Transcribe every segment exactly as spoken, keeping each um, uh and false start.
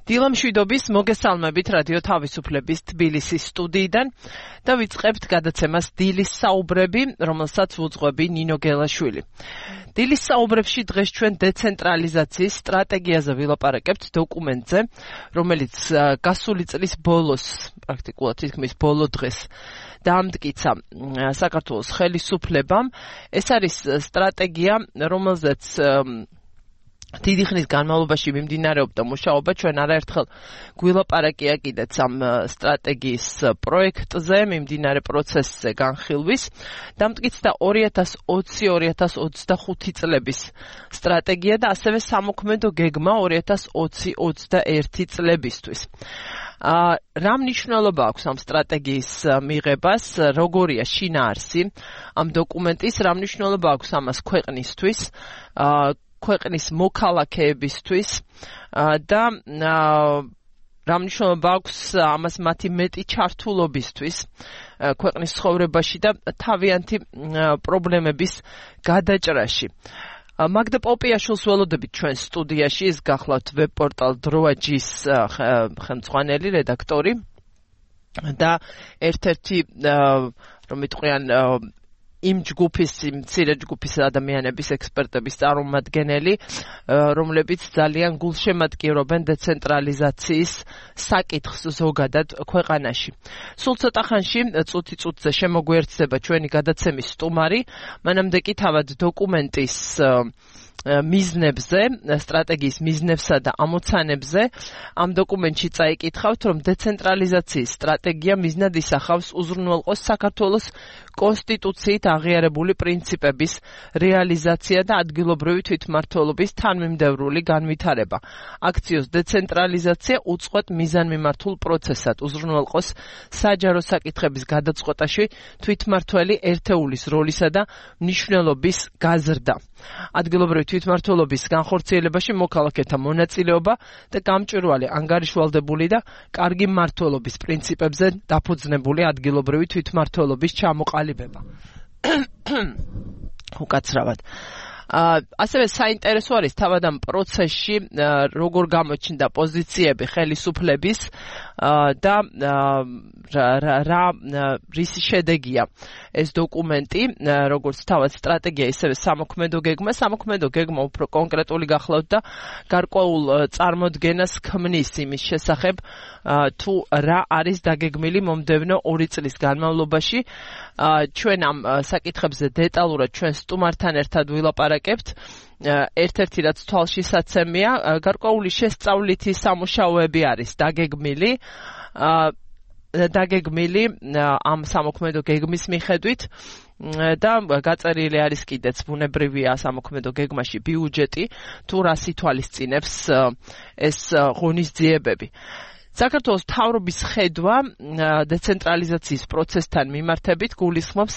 დილა მშვიდობის მოგესალმებით რადიო თავისუფლების თბილისის სტუდიიდან და ვიწყებთ გადაცემას დილის საუბრები, რომელსაც ვუძღვები ნინო გელაშვილი. დილის საუბრებში დღეს ჩვენ დეცენტრალიზაციის სტრატეგიაზე ვილაპარაკებთ დოკუმენტზე, რომელიც გასული წლის ბოლოს, პრაქტიკულად თითქმის ბოლო დღეს დაამტკიცა საქართველოს ხელისუფლებამ. ეს არის სტრატეგია, რომელზეც დიდი ხნის განმავლობაში მიმდინარეობდა მუშაობა, ჩვენ არაერთხელ გვილაპარაკია კიდეც ამ სტრატეგიის პროექტზე, მიმდინარე პროცესზე განხილვის. დამტკიცდა ორი ათას ოცი ორი ათას ოცდახუთი წლების სტრატეგია და ასევე სამოქმედო გეგმა ორი ათას ოცი ოცდაერთი წლებისთვის. რა მნიშვნელობა აქვს ამ სტრატეგიის მიღებას, როგორია შინაარსი ამ დოკუმენტის, რა მნიშვნელობა აქვს ამას ქვეყნისთვის, ქვეყნის მოქალაქეებისთვის და რა მნიშვნელობა აქვს ამას მათი მეტი ჩართულობისთვის ქვეყნის ცხოვრებაში და თავიანთი პრობლემების გადაჭრაში. მაგდა პოპიაშვილს ველოდებით ჩვენ სტუდიაში, ის გახლავთ ვებ-პორტალ დროაჯის ხელმძღვანელი რედაქტორი და ერთ-ერთი რომ იტყვიან იმ ჯგუფის, იმ მცირე ჯგუფის ადამიანების, ექსპერტების წარმომადგენელი, რომლებიც ძალიან გულშემატკივრობენ დეცენტრალიზაციის საკითხს ზოგადად ქვეყანაში. სულ ცოტა ხანში, წუთი წუთზე შემოგვიერთდება ჩვენი გადაცემის სტუმარი, მანამდე კი თავად დოკუმენტის მიზნებზე, სტრატეგიის მიზნებსა და ამოცანებზე ამ დოკუმენტში წაიკითხავთ, რომ დეცენტრალიზაციის სტრატეგია მიზნად ისახავს უზრუნველყოს საქართველოს კონსტიტუციით აღიარებული პრინციპების რეალიზაცია და ადგილობრივი თვითმმართველობის თანმიმდევრული განვითარება. აქციოს დეცენტრალიზაცია უწყვეტ მიზანმიმართულ პროცესად უზრუნველყოს საჯარო საკითხების გადაწყვეტაში თვითმმართველი ერთეულის როლისა და მნიშვნელობის გაზრდა. ადგილობრივი თვითმმართველობის განხორციელებაში მოქალაქეთა მონაწილეობა და გამჭვირვალე ანგარიშვალდებული და კარგი მმართველობის პრინციპებზე დაფუძნებული ადგილობრივი თვითმმართველობის ჩამოყალიბება. უკაცრავად. ასევე საინტერესო არის თავად ამ პროცესში როგორ გამოჩნდა პოზიციები ხელისუფლების და რა რისი შედეგია ეს დოკუმენტი, როგორც თავად სტრატეგია, ისევე სამოქმედო გეგმა. სამოქმედო გეგმა უფრო კონკრეტული გახლავთ და გარკვეულ წარმოდგენას ქმნის იმის შესახებ, თუ რა არის დაგეგმილი მომდევნო ორი წლის განმავლობაში. ჩვენ ამ საკითხებზე დეტალურად ჩვენ სტუმართან ერთად ვილაპარაკებთ. ერთ-ერთი რაც თვალში საცემია, გარკვეული შესწავლითი სამუშაოები არის დაგეგმილი. დაგეგმილი ამ სამოქმედო გეგმის მიხედვით და გაწერილი არის კიდეც ბუნებრივია სამოქმედო გეგმაში ბიუჯეტი, თუ რას ითვალისწინებს ეს ღონისძიებები. საქართველოს მთავრობის ხედვა დეცენტრალიზაციის პროცესთან მიმართებით გულისხმობს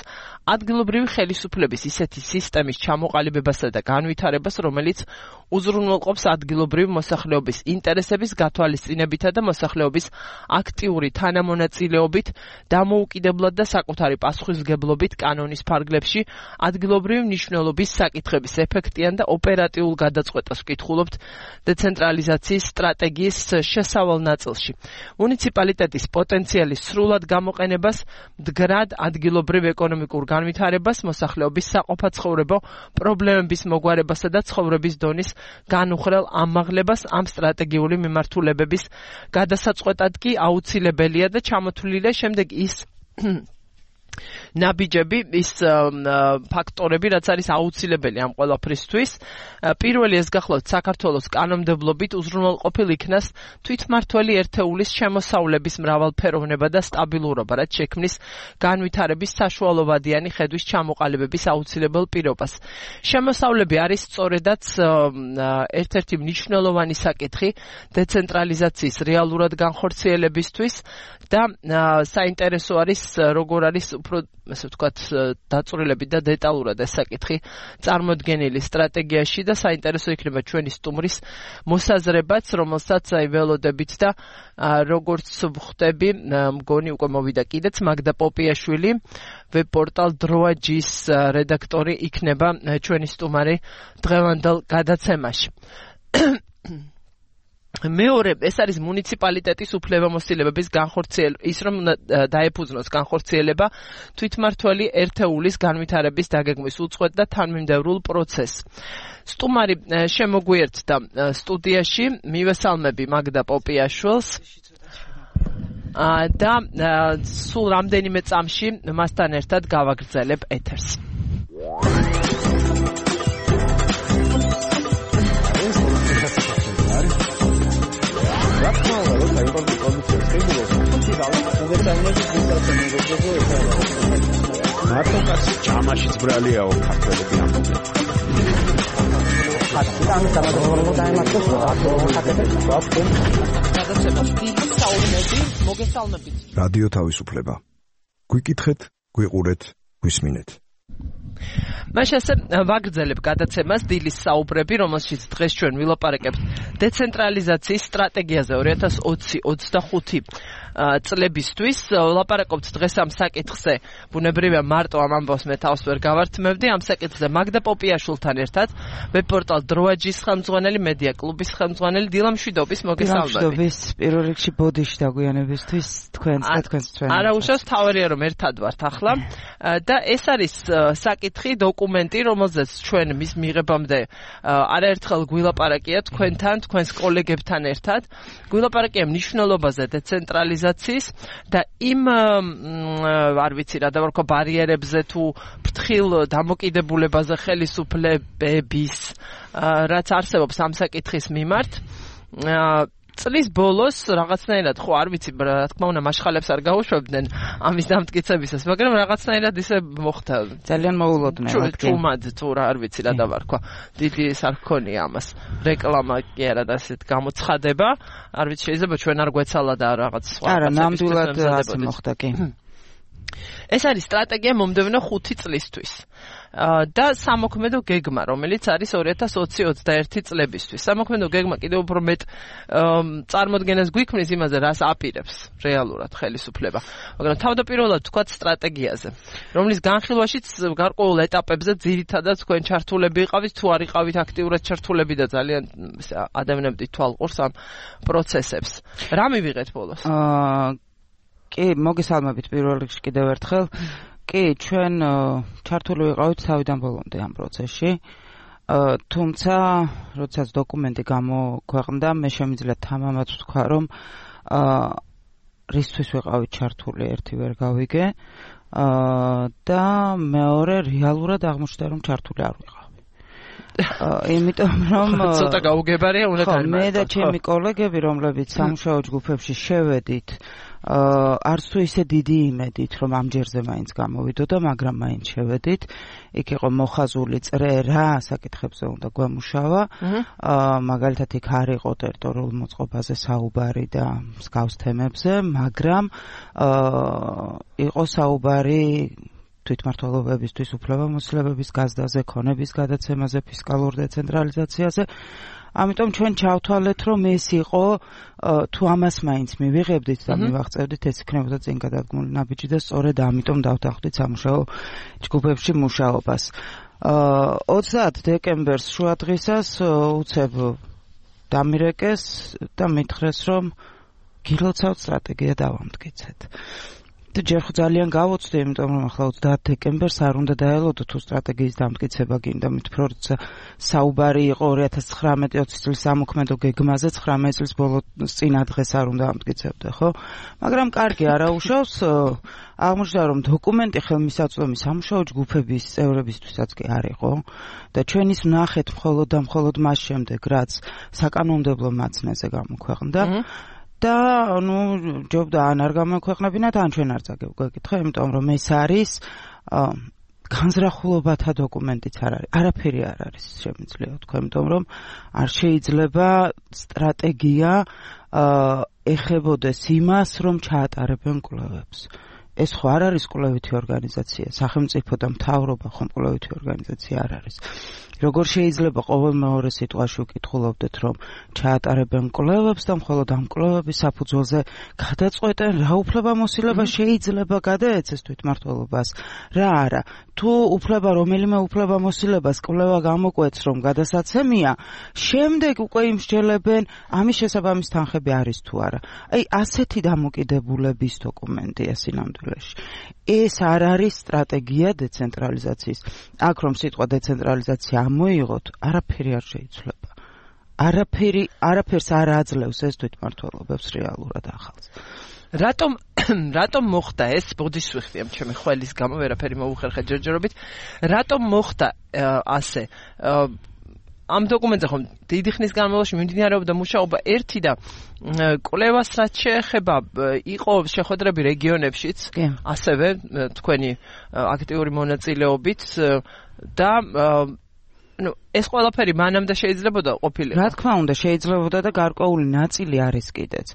ადგილობრივი ხელისუფლების ისეთი სისტემის ჩამოყალიბებასა და განვითარებას, რომელიც უზრუნველყოფს ადგილობრივი მოსახლეობის ინტერესების გათვალისწინებითა და მოსახლეობის აქტიური თანამონაწილეობით, დამოუკიდებლად და საკუთარი პასუხისმგებლობით კანონის ფარგლებში ადგილობრივი მნიშვნელობის საკითხების ეფექტიან და ოპერატიულ გადაწყვეტას ვკითხულობთ დეცენტრალიზაციის სტრატეგიის შესავალ ნაწილში. მუნიციპალიტეტის პოტენციალის სრულად გამოყენებას, მდგრად ადგილობრივ ეკონომიკურ განვითარებას, მოსახლეობის საყოფაცხოვრებო პრობლემების მოგვარებასა და ცხოვრების დონის განუხრელ ამაღლებას ამ სტრატეგიული მიმართულებების გადასაწყვეტად კი აუცილებელია და ჩამოთვლილია შემდეგ ის ნაბიჯები, ის ფაქტორები, რაც არის აუცილებელი ამ ყველაფრისთვის. პირველი ეს გახლავთ საქართველოს კანონმდებლობით უზრუნველყოფილ იქნას თვითმმართველი ერთეულის შემოსავლების მრავალფეროვნება და სტაბილურობა, რაც შექმნის განვითარების საშუალოვადიანი ხედვის ჩამოყალიბების აუცილებელ პირობას. შემოსავლები არის სწორედაც ერთ-ერთი მნიშვნელოვანი საკითხი დეცენტრალიზაციის რეალურად განხორციელებისთვის და საინტერესო არის როგორ არის უფრო ესე ვთქვათ დაწვრილებით და დეტალურად ეს საკითხი წარმოდგენილი სტრატეგიაში და საინტერესო იქნება ჩვენი სტუმრის მოსაზრებაც, რომელსაც აი ველოდებით და როგორც ვხვდები, მგონი უკვე მოვიდა კიდეც მაგდა პოპიაშვილი, ვებპორტალ დროაჯის რედაქტორი იქნება ჩვენი სტუმარი დღევანდელ გადაცემაში. მეორე, ეს არის მუნიციპალიტეტის უფლებამოსილებების განხორციელება, ის რომ დაეფუძნოს განხორციელება თვითმმართველი ერთეულის განვითარების დაგეგმვის უწყვეტ და თანმიმდევრულ პროცესს. სტუმარი შემოგვიერთდა სტუდიაში, მივესალმები მაგდა პოპიაშვილს და სულ რამდენიმე წამში მასთან ერთად გავაგრძელებ ეთერს. მარტო კაცი ჯამაშიც ბრალიაო ქართველები ამბობენ. რადიო თავისუფლება. გვიკითხეთ, გვიყურეთ, გვისმინეთ. მაშ ასე ვაგრძელებ გადაცემას დილის საუბრები, რომელშიც დღეს ჩვენ ვილაპარაკებთ დეცენტრალიზაციის სტრატეგიაზე ორი ათას ოცი ოცდახუთი წლებისთვის. ვლაპარაკობთ დღეს ამ საკითხზე, ბუნებრივია მარტო ამ ამბავს მე თავს ვერ გავართმევდი, ამ საკითხზე მაგდა პოპიაშვილთან ერთად, ვებპორტალ დროაჯის ხელმძღვანელი, მედია კლუბის ხელმძღვანელი დილა მშვიდობის მოგესალმებით. მშვიდობის პირველ რიგში ბოდიში დაგვიანებისთვის თქვენს და თქვენს ჩვენს. არა უშავს თავარია რომ ერთად ვართ ახლა და ეს არის საკითხი, დოკუმენტი, რომელზეც ჩვენ მის მიღებამდე არაერთხელ გვილაპარაკია თქვენთან, თქვენს კოლეგებთან ერთად. გვილაპარაკია მნიშვნელობაზე დეცენტრალიზაციის და იმ არ ვიცი რა დავარქვა ბარიერებზე თუ ფრთხილ დამოკიდებულებაზე ხელისუფლების რაც არსებობს ამ საკითხის მიმართ. წლის ბოლოს რაღაცნაირად ხო არ ვიცი რა თქმა უნდა მაშხალებს არ გაუშვებდნენ ამის დამტკიცებისას, მაგრამ რაღაცნაირად ისე მოხდა. ძალიან მოულოდნელად. ჩუმად თუ რა არ ვიცი რა დავარქვა. დიდი ის არ გქონია ამას. რეკლამა კი არა და ასეთ გამოცხადება. არ ვიცი შეიძლება ჩვენ არ გვეცალა და რაღაც სხვა. არა, ნამდვილად ასე მოხდა კი. ეს არის სტრატეგია მომდევნო ხუთი წლისთვის. და სამოქმედო გეგმა, რომელიც არის ორი ათას ოცი ოცდაერთი წლებისთვის. სამოქმედო გეგმა კიდევ უფრო მეტ წარმოდგენას გვიქმნის იმაზე, რას აპირებს რეალურად ხელისუფლება. მაგრამ თავდაპირველად ვთქვათ სტრატეგიაზე, რომლის განხილვაშიც გარკვეულ ეტაპებზე ძირითადად თქვენ ჩართულები იყავით, თუ არ იყავით აქტიურად ჩართულები და ძალიან ადამიანები თვალყურს ამ პროცესებს. რა მივიღეთ ბოლოს? აა კი, მოგესალმებით პირველ რიგში კიდევ ერთხელ. კი, ჩვენ ჩართული ვიყავით თავიდან ბოლომდე ამ პროცესში. თუმცა, როდესაც დოკუმენტი გამოქვეყნდა, მე შემიძლია თამამად ვთქვა, რომ რისთვის ვიყავით ჩართული, ერთი ვერ გავიგე და მეორე რეალურად აღმოჩნდა, რომ ჩართული არ ვიყავი. იმიტომ რომ ცოტა გაუგებარია უნდა განმარტო. მე და ჩემი კოლეგები, რომლებიც სამუშაო ჯგუფებში შევედით, არც თუ ისე დიდი იმედით, რომ ამ ჯერზე მაინც გამოვიდოდა, მაგრამ მაინც შევედით. იქ იყო მოხაზული წრე რა საკითხებზე უნდა გვემუშავა. მაგალითად იქ არ იყო ტერიტორიულ მოწყობაზე საუბარი და მსგავს თემებზე, მაგრამ იყო საუბარი თვითმმართველობებისთვის უფლებამოსილებების გაზრდაზე, ქონების გადაცემაზე, ფისკალურ დეცენტრალიზაციაზე. ამიტომ ჩვენ ჩავთვალეთ, რომ ეს იყო თუ ამას მაინც მივიღებდით და მივაღწევდით, ეს იქნებოდა წინ გადადგმული ნაბიჯი და სწორედ ამიტომ დავთანხმდით სამუშაო ჯგუფებში მუშაობას. ოცდაათ დეკემბერს შუადღისას უცებ დამირეკეს და მითხრეს, რომ გილოცავთ სტრატეგია დავამტკიცეთ. და ჯერ ხო ძალიან გავოცდი, იმიტომ რომ ახლა ოცდაათ დეკემბერს არ უნდა დაელოდო თუ სტრატეგიის დამტკიცება გინდა, მithpro როცა საუბარი იყო ორი ათას ცხრამეტი ოცი წლის სამოქმედო გეგმაზე, ცხრამეტი წლის ბოლოს წინა დღეს არ უნდა ამტკიცებდე, ხო? მაგრამ კარგი არაუშავს, აღმოჩნდა რომ დოკუმენტი ხელმისაწვდომი სამუშაო ჯგუფების წევრებისთვისაც კი არ იყო და ჩვენ ის ვნახეთ მხოლოდ და მხოლოდ მას შემდეგ, რაც საკანონმდებლო მაცნეზე გამოქვეყნდა. და ნუ ჯობდა ან არ გამოქვეყნებინათ, ან ჩვენ არ წაგევგვეკითხა, იმიტომ რომ ეს არის განზრახულობათა დოკუმენტიც არ არის. არაფერი არ არის შემიძლია თქვა, იმიტომ რომ არ შეიძლება სტრატეგია ეხებოდეს იმას, რომ ჩაატარებენ კვლევებს. ეს ხო არ არის კვლევითი ორგანიზაცია, სახელმწიფო და მთავრობა ხომ კვლევითი ორგანიზაცია არ არის. როგორ შეიძლება ყოველ მეორე სიტყვაში ვკითხულობდეთ, რომ ჩაატარებენ კვლევებს და მხოლოდ ამ კვლევების საფუძველზე გადაწყვეტენ, რა უფლებამოსილება შეიძლება გადაეცეს თვითმმართველობას, რა არა. თუ უფლება რომელიმე უფლებამოსილებას კვლევა გამოკვეთს, რომ გადასაცემია, შემდეგ უკვე იმსჯელებენ, ამის შესაბამის თანხები არის თუ არა. აი, ასეთი დამოკიდებულების დოკუმენტია სინამდვილეში. ეს არ არის სტრატეგია დეცენტრალიზაციის. აქ რომ სიტყვა დეცენტრალიზაცია მოიღოთ, არაფერი არ შეიძლება. არაფერი, არაფერს არ აძლევს ეს თვითმმართველობებს რეალურად ახალს. რატომ რატომ მოხდა ეს? ბოდის ვიხდი ამ ჩემი ხველის გამო, ვერაფერი მოუხერხე ჯერჯერობით. რატომ მოხდა ასე? ამ დოკუმენტზე ხომ დიდი ხნის განმავლობაში მიმდინარეობდა მუშაობა ერთი და კვლევას რაც შეეხება იყო შეხვედრები რეგიონებშიც, ასევე თქვენი აქტიური მონაწილეობით და ну, ეს ყველაფერი მანამდე შეიძლებოდა ყოფილიყო. რა თქმა უნდა, შეიძლებოდა და გარკვეული ნაწილი არის კიდეც.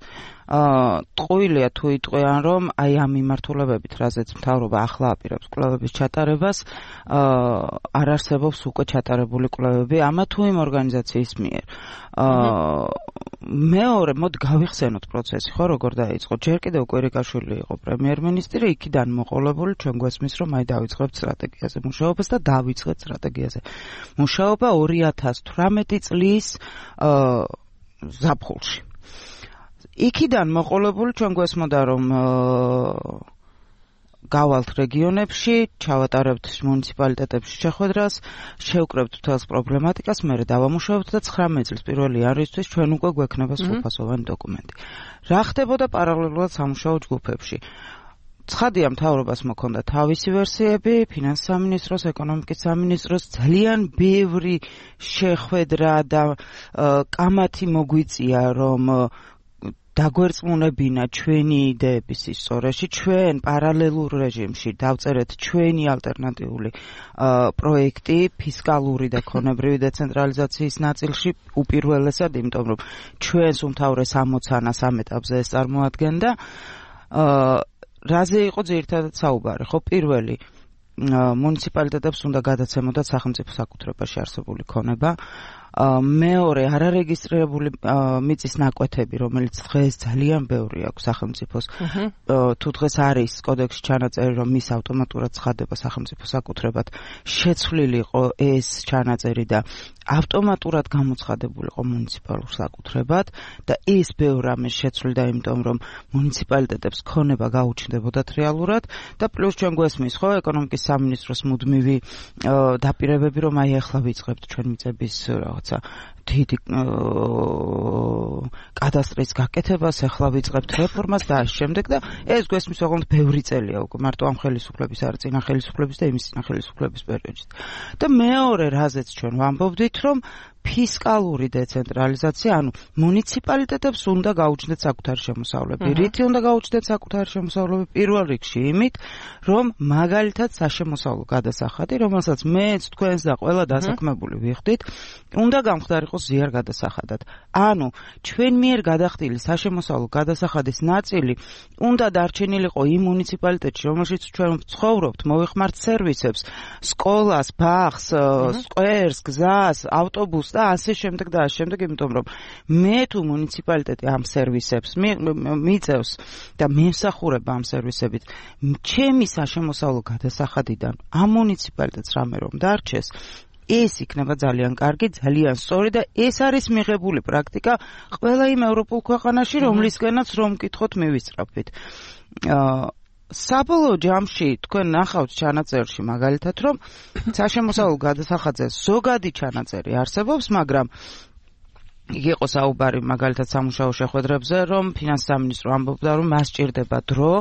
აა, ტყუილია თუ იტყვიან, რომ აი ამ მიმართულებებით, რაზეც მთავრობა ახლა აპირებს კვლევების ჩატარებას, აა, არ არსებობს უკვე ჩატარებული კვლევები ამა თუ იმ ორგანიზაციის მიერ. აა, მეორე, მოდ გავიხსენოთ პროცესი, ხო, როგორ დაიწყო. ჯერ კიდევ კვირიკაშვილი იყო პრემიერ-მინისტრი, იქიდან მოყოლებული ჩვენ გვესმის, რომ აი დავიწყებთ სტრატეგიაზე მუშაობას და დავიწყეთ სტრატეგიაზე. მუშაობა ორი ათას თვრამეტი წლის აა ზაფხულში. იქიდან მოყოლებული ჩვენ გვესმოდა, რომ გავალთ რეგიონებში, ჩავატარებთ მუნიციპალიტეტებში შეხვედრას, შევკრებთ მთელს პრობლემატიკას, მერე დავამუშავებთ და ცხრამეტი წლის პირველი იანვრისთვის ჩვენ უკვე გვექნება სრულფასოვანი დოკუმენტი. რა ხდებოდა პარალელურად სამუშაო ჯგუფებში? ცხადია, მთავრობას მოქონდა თავისი ვერსიები, ფინანსის სამინისტროს, ეკონომიკის სამინისტროს, ძალიან ბევრი შეხვედრა და კამათი მოგვიწია, რომ დაგვერწმუნებინა ჩვენი იდეების ისტორიაში, ჩვენ პარალელურ რეჟიმში დავწერეთ ჩვენი ალტერნატიული პროექტი ფისკალური და ქონებრივი დეცენტრალიზაციის ნაწილში უპირველესად, იმიტომ რომ ჩვენს უმთავრეს ამოცანას ამ ეტაპზე ეს წარმოადგენდა. რაზე იყო ძირითადად საუბარი, ხო, პირველი მუნიციპალიტეტებს უნდა გადაცემოდათ სახელმწიფო საკუთრებაში არსებული ქონება. მეორე, არარეგისტრირებული მიწის ნაკვეთები, რომელიც დღეს ძალიან ბევრი აქვს სახელმწიფოს. თუ დღეს არის კოდექსში ჩანაწერი, რომ მის ავტომატურად ცხადდება სახელმწიფო საკუთრებად, შეცვლილი იყო ეს ჩანაწერი და ავტომატურად გამოცხადებულიყო მუნიციპალურ საკუთრებად და ეს ბევრ რამეს შეცვლიდა, იმიტომ რომ მუნიციპალიტეტებს ქონება გაუჩნდებოდათ რეალურად და პლუს ჩვენ გვესმის, ხო, ეკონომიკის სამინისტროს მუდმივი დაპირებები, რომ აი ახლა ვიწყებთ ჩვენ მიწების რაღაცა დიდი კადასტრის გაკეთებას, ახლა ვიწყებთ რეფორმას და ამ შემდეგ და ეს გვესმის ოღონდ ბევრი წელია უკვე მარტო ამ ხელისუფლების არ წინა ხელისუფლების და იმის წინა ხელისუფლების პერიოდში. და მეორე, რაზეც ჩვენ ვამბობდით, რომ ფისკალური დეცენტრალიზაცია, ანუ მუნიციპალიტეტებს უნდა გაუჩნდეთ საკუთარი შემოსავლები. რითი უნდა გაუჩნდეთ საკუთარი შემოსავლები? პირველ რიგში იმით, რომ მაგალითად საშემოსავლო გადასახადი, რომელსაც მეც თქვენს და ყველა დასაქმებული ვიხდით, უნდა გამხდარიყოს ზიარ გადასახადად. ანუ ჩვენ მიერ გადახდილი საშემოსავლო გადასახადის ნაწილი უნდა დარჩენილიყო იმ მუნიციპალიტეტში, რომელშიც ჩვენ ვცხოვრობთ, მოვიხმართ სერვისებს, სკოლას, ბაღს, სკვერს, გზას, ავტობუსს და ასე შემდეგ და ასე შემდეგ, იმიტომ რომ მე თუ მუნიციპალიტეტი ამ სერვისებს მიწევს და მემსახურება ამ სერვისებით, ჩემი საშემოსავლო გადასახადიდან ამ მუნიციპალიტეტს რამე რომ დარჩეს, ეს იქნება ძალიან კარგი, ძალიან სწორი და ეს არის მიღებული პრაქტიკა ყველა იმ ევროპულ ქვეყანაში, რომლისგანაც რომ მკითხოთ მივისწრაფით. საბოლოო ჯამში თქვენ ნახავთ ჩანაწერში მაგალითად, რომ საშემოსავლო გადასახადზე ზოგადი ჩანაწერი არსებობს, მაგრამ იგი იყო საუბარი მაგალითად სამუშაო შეხვედრებზე, რომ ფინანსის სამინისტრო ამბობდა, რომ მას სჭირდება დრო,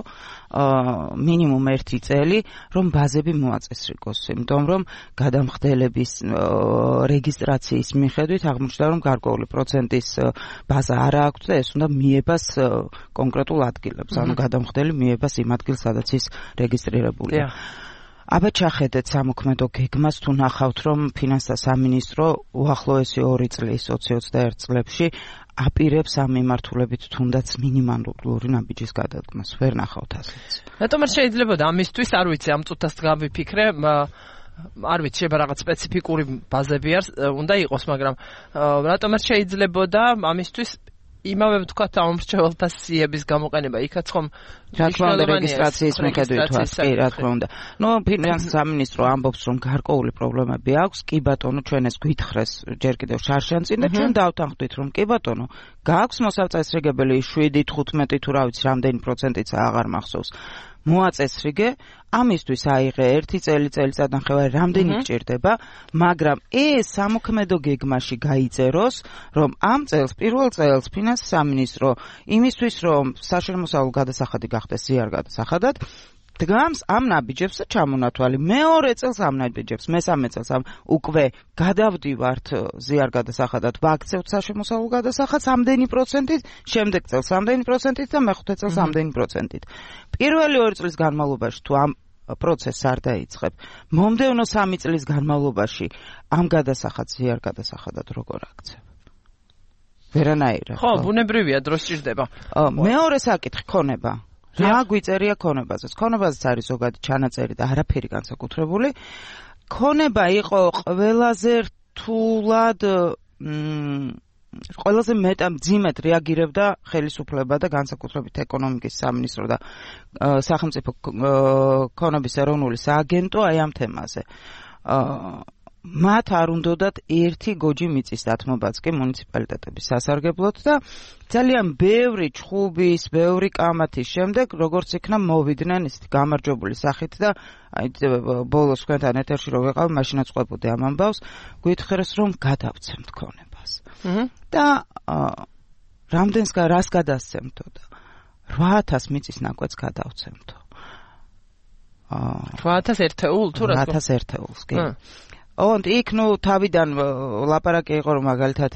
მინიმუმ ერთი წელი, რომ ბაზები მოაწესრიგოს, იმიტომ რომ გადამხდელების რეგისტრაციის მიხედვით აღმოჩნდა, რომ გარკვეული პროცენტის ბაზა არ აქვს და ეს უნდა მიებას კონკრეტულ ადგილებს, ანუ გადამხდელი მიებას იმ ადგილს, სადაც ის რეგისტრირებულია. აბა ჩახედეთ სამოქმედო გეგმას თუ ნახავთ რომ ფინანსთა სამინისტრო უახლოესი ორი წლის ოცი ოცდაერთ წლებში აპირებს ამ მიმართულებით თუნდაც მინიმალური ნაბიჯის გადადგმას. ვერ ნახავთ ასეც. რატომ არ შეიძლებოდა ამისთვის, არ ვიცი, ამ წუთას გავიფიქრე, არ ვიცი, შეიძლება რაღაც სპეციფიკური ბაზები არ უნდა იყოს, მაგრამ რატომ არ შეიძლებოდა ამისთვის იმავე ვთქვათ ამომრჩეველთა სიების გამოყენება, იქაც ხომ რა თქმა უნდა რეგისტრაციის მიხედვით ვას, კი, რა თქმა უნდა. ნუ ფინანსთა სამინისტრო ამბობს, რომ გარკვეული პრობლემები აქვს, კი ბატონო, ჩვენ ეს გვითხრეს ჯერ კიდევ შარშანწინ და ჩვენ დავთანხმდით, რომ კი ბატონო, გააქვს მოსაწესრიგებელი შვიდი, თხუთმეტი თუ რა ვიცი, რამდენი პროცენტიც აღარ მახსოვს. მოაწესრიგე, ამისთვის აიღე ერთი წელი, წელიწადნახევარი, რამდენი გჭირდება, მაგრამ ეს სამოქმედო გეგმაში გაიწეროს, რომ ამ წელს, პირველ წელს ფინანსთა სამინისტრო იმისთვის, რომ საშემოსავლო გადასახადი გახდეს ზიარ გადასახადად, დგამს ამ ნაბიჯებს და ჩამონათვალი. მეორე წელს ამ ნაბიჯებს, მესამე წელს ამ უკვე გადავდივართ ზიარ გადასახადად, ვაქცევთ საშემოსავლო გადასახადს ამდენი პროცენტით, შემდეგ წელს ამდენი პროცენტით და მეხუთე წელს ამდენი პროცენტით. პირველი ორი წლის განმავლობაში თუ ამ პროცესს არ დაიწყებ, მომდევნო სამი წლის განმავლობაში ამ გადასახადს ზიარ გადასახადად როგორ აქცევ? ვერანაირად. ხო, ბუნებრივია, დრო სჭირდება. მეორე საკითხი ქონება. რა გვიწერია ქონებაზეც? ქონებაზეც არის ზოგადი ჩანაწერი და არაფერი განსაკუთრებული. ქონება იყო ყველაზე რთულად ყველაზე მეტად მძიმედ რეაგირებდა ხელისუფლება და განსაკუთრებით ეკონომიკის სამინისტრო და სახელმწიფო ქონების ეროვნული სააგენტო აი ამ თემაზე. მათ არ უნდათ ერთი გოჯი მიწის დათმობაც კი მუნიციპალიტეტების სასარგებლოდ და ძალიან ბევრი ჩხუბის, ბევრი კამათის შემდეგ როგორც იქნა მოვიდნენ ისეთი გამარჯვებული სახით და აი ბოლოს თქვენთან ეთერში რო ვიყავ, მაშინაც ყვებოდი ამ ამბავს, გვითხრეს რომ გადავცემთ ქონებას. და რამდენს რას გადასცემთო და რვა ათას მიწის ნაკვეთს გადავცემთო. რვა ათას ერთეულ თუ რა? რვა ათას ერთეულს, კი. ოღონდ იქ ნუ თავიდან ლაპარაკი იყო რომ მაგალითად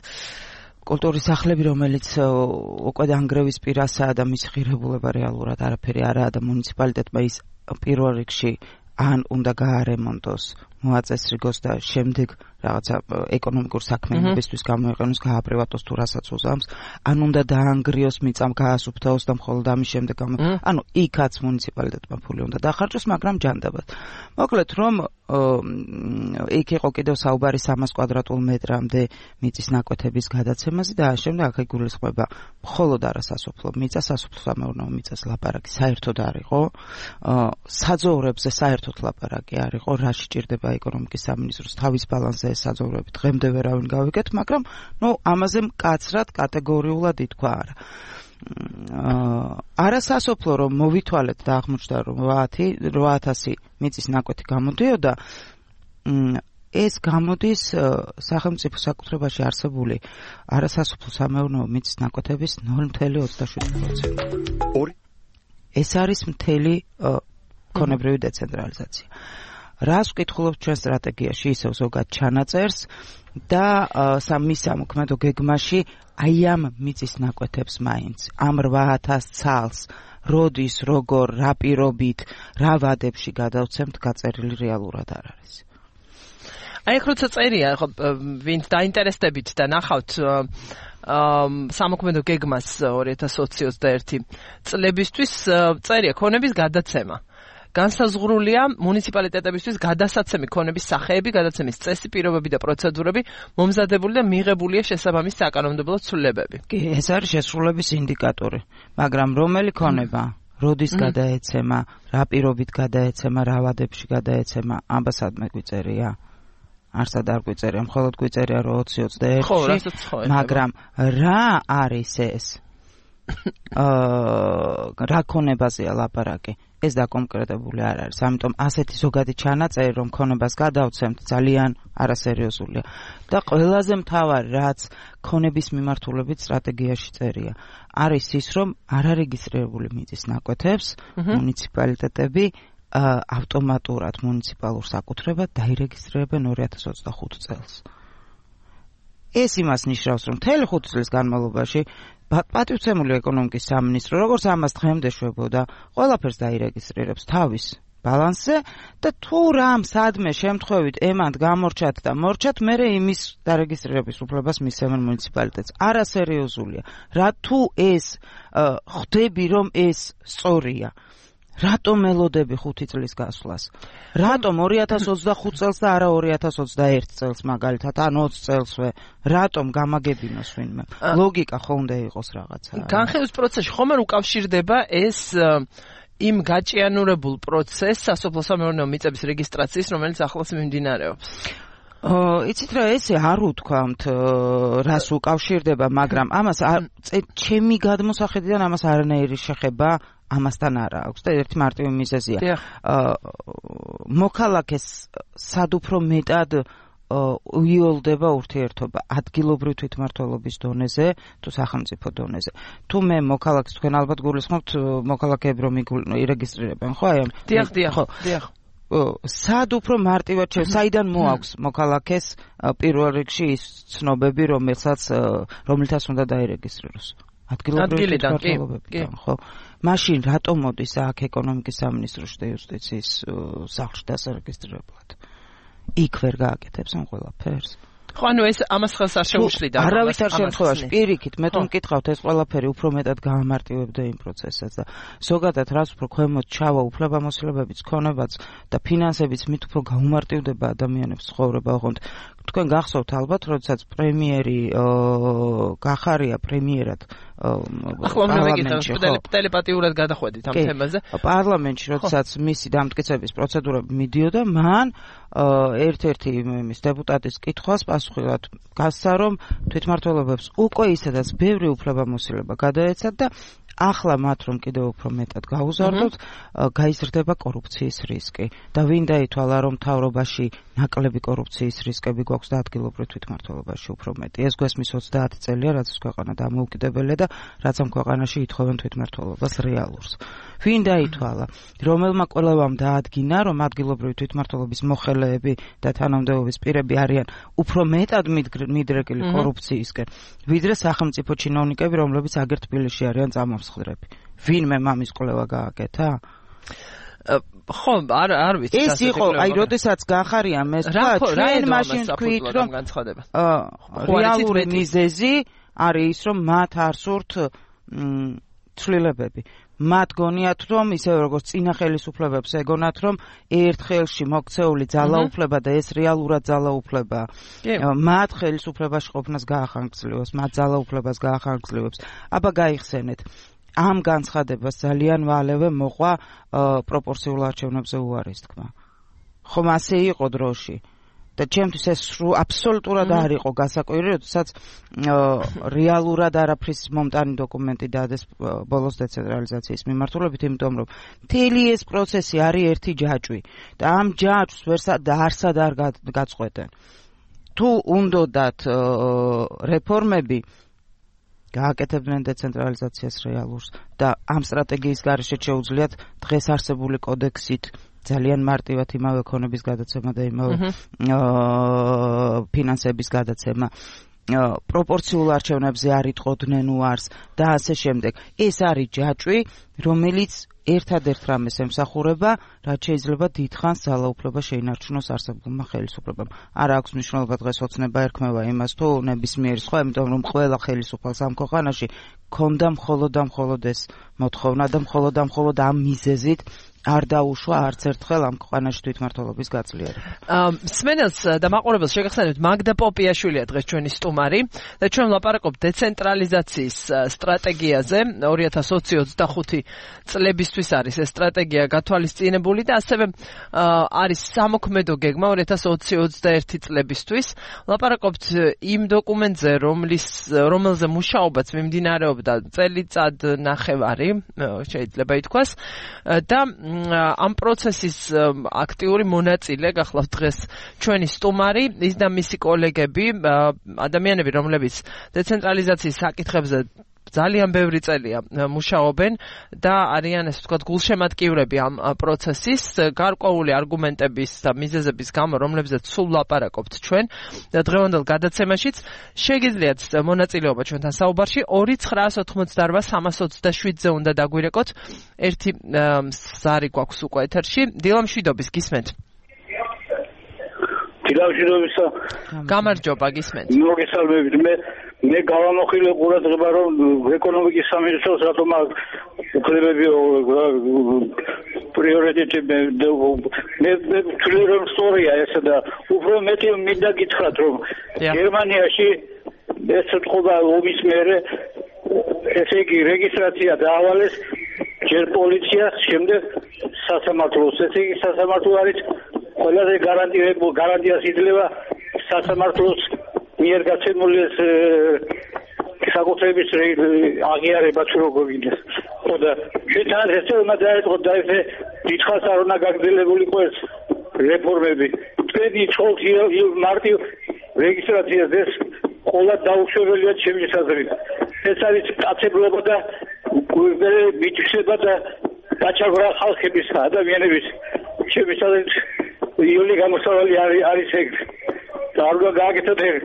კულტურის სახლები რომელიც უკვე დანგრევის პირასაა და მის ღირებულება რეალურად არაფერი არაა და მუნიციპალიტეტმა ის პირველ რიგში ან უნდა გაარემონტოს, მოაწესრიგოს და შემდეგ რაღაცა ეკონომიკურ საქმიანობისთვის გამოიყენოს, გააპრივატოს თუ რასაც უზამს, ან უნდა დაანგრიოს, მიწამ გაასუფთავოს და მხოლოდ ამის შემდეგ ანუ იქაც მუნიციპალიტეტმა ფული უნდა დახარჯოს, მაგრამ ჯანდაბად. მოკლედ რომ იქ იყო კიდევ საუბარი სამას კვადრატულ მეტრამდე მიწის ნაკვეთების გადაცემაზე და შემდეგ აქ იგულისხმება მხოლოდ არასასოფლო მიწა, სასოფლო-სამეურნეო მიწას ლაპარაკი საერთოდ არ იყო, საძოვრებზე საერთოდ ლაპარაკი არ იყო, რა სჭირდება ეკონომიკის სამინისტროს თავის ბალანსზე ეს საძოვრები დღემდე ვერავინ გავიგეთ, მაგრამ ნუ ამაზე მკაცრად კატეგორიულად ითქვა არა. არასასოფლო რომ მოვითვალეთ და აღმოჩნდა რომ რვა ათასი მიწის ნაკვეთი გამოდიოდა, ეს გამოდის სახელმწიფო საკუთრებაში არსებული არასასოფლო სამეურნეო მიწის ნაკვეთების ნული ოცდაშვიდი პროცენტი. ეს არის მთელი ქონებრივი დეცენტრალიზაცია. რას ვკითხულობთ ჩვენ სტრატეგიაში ისევ ზოგად ჩანაწერს და მის სამოქმედო გეგმაში აი ამ მიწის ნაკვეთებს მაინც ამ რვა ათას ცალს როდის, როგორ, რა პირობით, რა ვადებში გადავცემთ გაწერილი რეალურად არ არის. აი ახლა როცა წერია, ხო ვინც დაინტერესდებით და ნახავთ სამოქმედო გეგმას ორი ათას ოცი ოცდაერთი წლებისთვის წერია ქონების გადაცემა. განსაზღვრულია მუნიციპალიტეტებისთვის გადასაცემი ქონების სახეები, გადაცემის წესი, პირობები და პროცედურები, მომზადებული და მიღებულია შესაბამის საკანონმდებლო ცვლილებები. კი, ეს არის შესრულების ინდიკატორი, მაგრამ რომელი ქონება, როდის გადაეცემა, რა პირობით გადაეცემა, რა ვადებში გადაეცემა, ამბასადმე გვიწერია. არსად არ გვიწერია, მხოლოდ გვიწერია რომ ოცი ოცდაერთში, მაგრამ რა არის ეს? რა ქონებაზეა ლაპარაკი? ეს დაკონკრეტებული არ არის. ამიტომ ასეთი ზოგადი ჩანაწერი რომ ქონებას გადავცემთ ძალიან არასერიოზულია. და ყველაზე მთავარი რაც ქონების მიმართულებით სტრატეგიაში წერია, არის ის რომ არარეგისტრირებული მიწის ნაკვეთებს მუნიციპალიტეტები ავტომატურად მუნიციპალურ საკუთრებად დაირეგისტრირებენ ორი ათას ოცდახუთი წელს. ეს იმას ნიშნავს, რომ მთელი ხუთი წლის განმავლობაში პატივცემული ეკონომიკის სამინისტრო, როგორც ამას დღემდე შვებოდა, ყველაფერს დაირეგისტრირებს თავის ბალანსზე და თუ რამ სადმე შემთხვევით ემად გამორჩათ და მორჩათ, მერე იმის დარეგისტრირების უფლებას მისცემენ მუნიციპალიტეტს. არასერიოზულია. რა თუ ეს ხვდები რომ ეს სწორია. რატომ ელოდები ხუთი წლის გასვლას? რატომ ორი ათას ოცდახუთ წელს და არა ორი ათას ოცდაერთ წელს მაგალითად, ან ოცი წელსვე? რატომ გამაგებინოს ვინმე? ლოგიკა ხო უნდა იყოს რაღაცა. განხილვის პროცესში ხომ არ უკავშირდება ეს იმ გაჭიანურებულ პროცესს სასოფლო-სამეურნეო მიწების რეგისტრაციის, რომელიც ახლაც მიმდინარეობს. იცით რა, ესე არ უთქვამთ რას უკავშირდება, მაგრამ ამას ჩემი გადმოსახედიდან ამას არანაირი შეხება ამასთან არა აქვს და ერთი მარტივი მიზეზია. მოქალაქეს სად უფრო მეტად უიოლდება ურთიერთობა ადგილობრივ თვითმმართველობის დონეზე თუ სახელმწიფო დონეზე. თუ მე მოქალაქეს, თქვენ ალბათ გულისხმობთ მოქალაქეები რომ ირეგისტრირებენ, ხო? აი ამ დიახ, დიახ, დიახ. სად უფრო მარტივად შევ, საიდან მოაქვს მოქალაქეს პირველ რიგში ის ცნობები, რომელსაც რომელთაც უნდა დაირეგისტრიროს? ადგილობრივი თვითმმართველობებიდან, ხო? მაშინ რატომ მოდის აქ ეკონომიკის სამინისტროში და იუსტიციის სახლში დასარეგისტრირებლად? იქ ვერ გააკეთებს ამ ყველაფერს? ხო, ანუ ეს ამას ხელს არ შეუშლიდა. არავითარ შემთხვევაში პირიქით მე თუ მკითხავთ, ეს ყველაფერი უფრო მეტად გაამარტივებდა იმ პროცესსაც და ზოგადად რაც უფრო ქვემოთ ჩავა უფლებამოსილებებიც, ქონებაც და ფინანსებიც მით უფრო გაუმარტივდება ადამიანებს ცხოვრება. ოღონდ თქვენ გახსოვთ ალბათ, როდესაც პრემიერი გახარია პრემიერად პარლამენტში, ტელეპათიურად გადახვედით ამ თემაზე. პარლამენტში, როდესაც მისი დამტკიცების პროცედურები მიდიოდა, მან ერთ-ერთი იმის დეპუტატის კითხვას პასუხად გასცა, რომ თვითმმართველობებს უკვე ისედაც ბევრი უფლებამოსილება გადაეცათ და ახლა მათ რომ კიდევ უფრო მეტად გაუზარდოთ, გაიზრდება კორუფციის რისკი. და ვინ დაითვალა, რომ მთავრობაში ნაკლები კორუფციის რისკები გვაქვს და ადგილობრივ თვითმმართველობაში უფრო მეტი. ეს გვესმის ოცდაათი წელია, რაც ეს ქვეყანა დამოუკიდებელია და რაც ამ ქვეყანაში ითხოვენ თვითმმართველობას რეალურს. ვინ დაითვალა, რომელმა კვლევამ დაადგინა, რომ ადგილობრივი თვითმმართველობის მოხელეები და თანამდებობის პირები არიან უფრო მეტად მიდრეკილი კორუფციისკენ, ვიდრე სახელმწიფო ჩინოვნიკები, რომლებიც აგერ თბილისში არიან წამამსხვრები. ვინმე მამის კვლევა გააკეთა? ხო, არ არ ვიცი. ეს იყო, აი, როდესაც გახარია მე თქვა, ჩვენ მაშინ თქვით, რომ რეალური მიზეზი არის ის, რომ მათ არ სურთ ცვლილებები. მათ გონიათ, რომ ისე როგორც წინა ხელისუფლებებს ეგონათ, რომ ერთ ხელში მოქცეული ძალაუფლება და ეს რეალურად ძალაუფლება მათ ხელისუფლებაში ყოფნას გაახანგრძლივებს, მათ ძალაუფლებას გაახანგრძლივებს. აბა გაიხსენეთ. ამ განცხადებას ძალიან ვალევე მოყვა პროპორციულ არჩევნებზე უარის თქმა. ხომ ასე იყო დროში? და ჩემთვის ეს აბსოლუტურად არ იყო გასაკვირი, როდესაც რეალურად არაფრის მომტანი დოკუმენტი დადეს ბოლოს დეცენტრალიზაციის მიმართულებით, იმიტომ რომ მთელი ეს პროცესი არის ერთი ჯაჭვი და ამ ჯაჭვს ვერსად და არსად არ გაწყვეტენ. თუ უნდათ რეფორმები გააკეთებდნენ დეცენტრალიზაციას რეალურს და ამ სტრატეგიის გარეშე შეუძლიათ დღეს არსებული კოდექსით ძალიან მარტივად იმავე ქონების გადაცემა და იმავე ფინანსების გადაცემა პროპორციულ არჩევნებზე არ იტყოდნენ უარს და ასე შემდეგ. ეს არის ჯაჭვი, რომელიც ერთადერთ რამეს ემსახურება, რაც შეიძლება დიდხანს ძალაუფლება შეინარჩუნოს არსებულმა ხელისუფლებამ. არ აქვს მნიშვნელობა დღეს ოცნება ერქმევა იმას თუ ნებისმიერი სხვა, იმიტომ რომ ყველა ხელისუფალს ამ ქვეყანაში ქონდა მხოლოდ და მხოლოდ ეს მოთხოვნა და მხოლოდ და მხოლოდ ამ მიზეზით არ დაუშვა არც ერთხელ ამ ქვეყანაში თვითმმართველობის გაწლიერება. მსმენელს და მაყურებელს შეგახსენებთ, მაგდა პოპიაშვილია დღეს ჩვენი სტუმარი და ჩვენ ვლაპარაკობთ დეცენტრალიზაციის სტრატეგიაზე. ორი ათას ოცი ოცდახუთი წლებისთვის არის ეს სტრატეგია გათვალისწინებული და ასევე არის სამოქმედო გეგმა ორი ათას ოცი ოცდაერთი წლებისთვის. ვლაპარაკობთ იმ დოკუმენტზე, რომლის რომელზე მუშაობაც მიმდინარეობდა წელიწად ნახევარი, შეიძლება ითქვას და ამ პროცესის აქტიური მონაწილე გახლავთ დღეს ჩვენი სტუმარი, ის და მისი კოლეგები, ადამიანები, რომლებიც დეცენტრალიზაციის საკითხებზე ძალიან ბევრი წელია მუშაობენ და არიან ესე ვთქვათ გულშემატკივრები ამ პროცესის გარკვეული არგუმენტების და მიზეზების გამო, რომლებზეც სულ ლაპარაკობთ ჩვენ და დღევანდელ გადაცემაშიც შეგიძლიათ მონაწილეობა ჩვენთან საუბარში ორი ცხრაას ოთხმოცდაორბა სამას ოცდაშვიდზე უნდა დაგვირეკოთ. ერთი ზარი გვაქვს უკვე ეთერში. დილა მშვიდობის, გისმენთ. დილა მშვიდობისა. გამარჯობა, გისმენთ. მოგესალმებით. მე მე გავამოხილე ყურადღება, რომ ეკონომიკის სამინისტროს რატომ უფლებები პრიორიტეტი მე მე ვთვლი რომ სწორია ესა და უფრო მეტი მინდა გითხრათ, რომ გერმანიაში ეს თქობა ომის მერე ესე იგი რეგისტრაცია დაავალეს ჯერ პოლიციას, შემდეგ სასამართლოს. ესე იგი სასამართლო არის ყველაზე გარანტირებული გარანტიას იძლევა სასამართლოს მიერ გაცემული ეს საკუთრების აღიარება თუ როგორ გინდეს. ხოდა შეთან ესემა დაიწყო და ესე დიდხანს არ უნდა გაგრძელებულიყო ეს რეფორმები. თქვენი ცოლს მარტივ რეგისტრაციას ეს ყველა დაუშვებელია ჩემი საზრით. ეს არის კაცებრიობა და მითვისება და გაჩაღვრა ხალხების ადამიანების ჩემი საზრით იული გამოსავალი არის ეგ. და არ უნდა გააკეთოთ ეგ.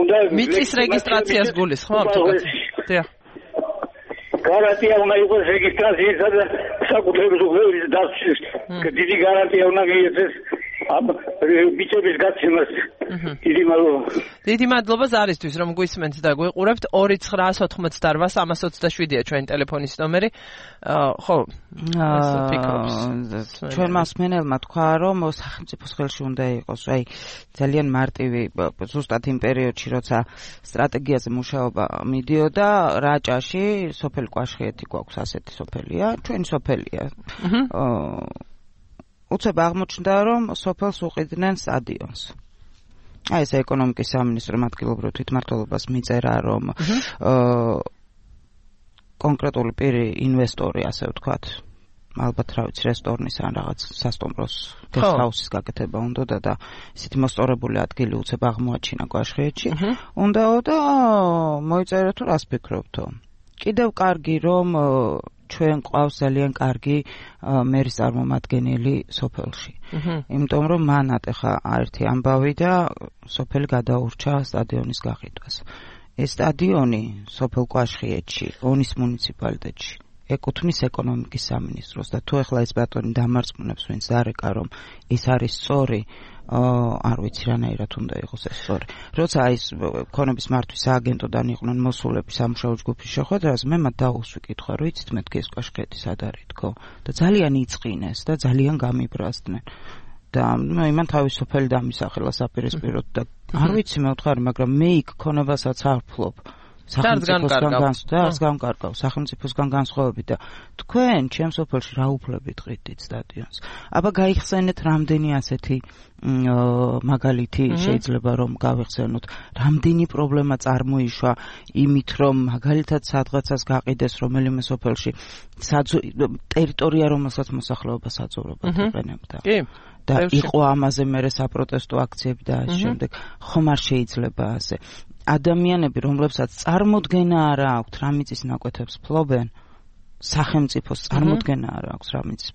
უნდა მიწის რეგისტრაციას გულისხმობთ? დიახ. გარანტია უნდა იყოს რეგისტრაციისა და საკუთრების უფლების დაცვის. დიდი გარანტია უნდა მიეცეს ამ ბიჭების გაცემას. დიდი მადლობა. დიდი მადლობა ზარისთვის, რომ გვისმენთ და გვიყურებთ. ორი ცხრაას ოთხმოცდაორბა სამას ოცდაშვიდია ჩვენი ტელეფონის ნომერი. ხო, ჩვენ მასმენელმა თქვა, რომ სახელმწიფოს ხელში უნდა იყოს, აი ძალიან მარტივი, ზუსტად იმ პერიოდში, როცა სტრატეგიაზე მუშაობა მიდიოდა, რაჭაში სოფელი კვაშხიეთი გვაქვს, ასეთი სოფელია, ჩვენი სოფელია. უცებ აღმოჩნდა, რომ სოფელს უყიდნენ სტადიონს. აი ეს ეკონომიკის სამინისტრომ ადგილობრივ თვითმმართველობას მიწერა, რომ კონკრეტული პირი ინვესტორი, ასე ვთქვათ, ალბათ რა ვიცი, რესტორნის ან რაღაც სასტუმროს გესტჰაუსის გაკეთება უნდოდა და ისეთი მოსწორებული ადგილი უცებ აღმოაჩინა კვაშხიეთში. უნდაო და მოიწერა თუ რას ფიქრობთო. კიდევ კარგი, რომ ჩვენ ყავს ძალიან კარგი მერის წარმომადგენელი სოფელში. იმიტომ რომ მანათ ახლა ერთი ამბავი და სოფელი გადაურჩა სტადიონის გაყიდვას. ეს სტადიონი სოფელ კვაშხიეთში, ონის მუნიციპალიტეტში ეკუთვნის ეკონომიკის სამინისტროს და თუ ახლა ეს ბატონი დამარწმუნებს ვინც დარეკა, რომ ეს არის სწორი, არ ვიცი რანაირად უნდა იყოს ეს სწორი. როცა ის ქონების მართვის სააგენტოდან იყვნენ მოსულები სამუშაო ჯგუფის შეხვედრაზე, მე მათ დაუსვი კითხვა, რომ იცით მეთქი ეს კვაშხეთი სად არის თქო და ძალიან იწყინეს და ძალიან გამიბრაზდნენ. და იმან თავის სოფელი დამისახელა საპირისპიროდ და არ ვიცი მე ვთხარი, მაგრამ მე იქ ქონებასაც არ ვფლობ. სახელმწიფოსგან განსხვავებით, სახელმწიფოსგან განსხვავებით და თქვენ ჩემ სოფელში რა უფლებით ყიდით სტადიონს. აბა გაიხსენეთ რამდენი ასეთი მაგალითი შეიძლება რომ გავიხსენოთ, რამდენი პრობლემა წარმოიშვა იმით, რომ მაგალითად სადღაცას გაყიდეს რომელიმე სოფელში ტერიტორია, რომელსაც მოსახლეობა საძოვრებად იყენებდა. კი. და იყო ამაზე მერე საპროტესტო აქციები და ამ შემდეგ ხომ არ შეიძლება ასე. ადამიანები, რომლებსაც წარმოდგენა არ აქვს რა მიწის ნაკვეთებს ფლობენ, სახელმწიფოს წარმოდგენა არ აქვს რა მიწის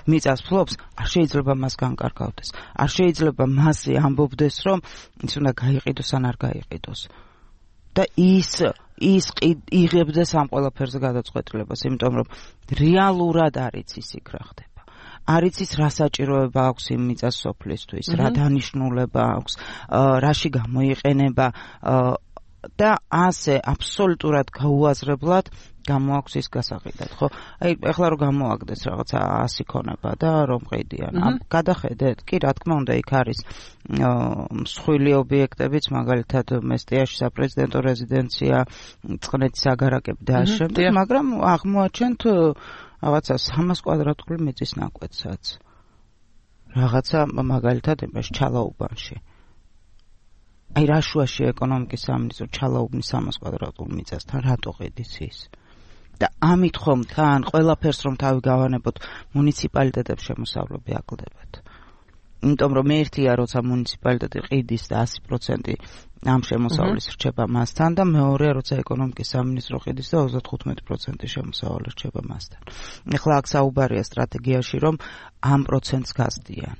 მიწას ფლობს, არ შეიძლება მას განკარგავდეს. არ შეიძლება მასზე ამბობდეს, რომ ის უნდა გაიყიდოს ან არ გაიყიდოს. და ის ის იღებდეს ამ ყველაფერზე გადაწყვეტილებას, იმიტომ რომ რეალურად არის ის იქ რა ხდება. არ იცის რა საჭიროება აქვს იმ მიწას სოფლისთვის, რა დანიშნულება აქვს, რაში გამოიყენება და ასე აბსოლუტურად გაუაზრებლად გამოაქვს ის გასაყიდად, ხო? აი, ეხლა რომ გამოაგდეს რაღაცა ასი ქონება და რომ ყიდიან. გადახედეთ? კი, რა თქმა უნდა, იქ არის მსხვილი ობიექტებიც, მაგალითად მესტიაში საპრეზიდენტო რეზიდენცია, წყნეთის აგარაკები და ამ შემდეგ, მაგრამ აღმოაჩენთ რაღაცა სამას კვადრატული მიწის ნაკვეთსაც. რაღაცა მაგალითად იმაში ჩალაუბანში. აი რა შუაში ეკონომიკის სამინისტრო ჩალაუბნის სამას კვადრატულ მიწასთან რატო ყიდის ის? და ამით ხომ თან ყველაფერს რომ თავი გავანებოთ მუნიციპალიტეტებს შემოსავლები აკლდებათ. იმიტომ რომ ერთია როცა მუნიციპალიტეტი ყიდის და ასი პროცენტი ამ შემოსავლის რჩება მასთან და მეორეა როცა ეკონომიკის სამინისტრო ყიდის და ოცდათხუთმეტი პროცენტი შემოსავალი რჩება მასთან. ეხლა აქ საუბარია სტრატეგიაში რომ ამ პროცენტს გასდიან.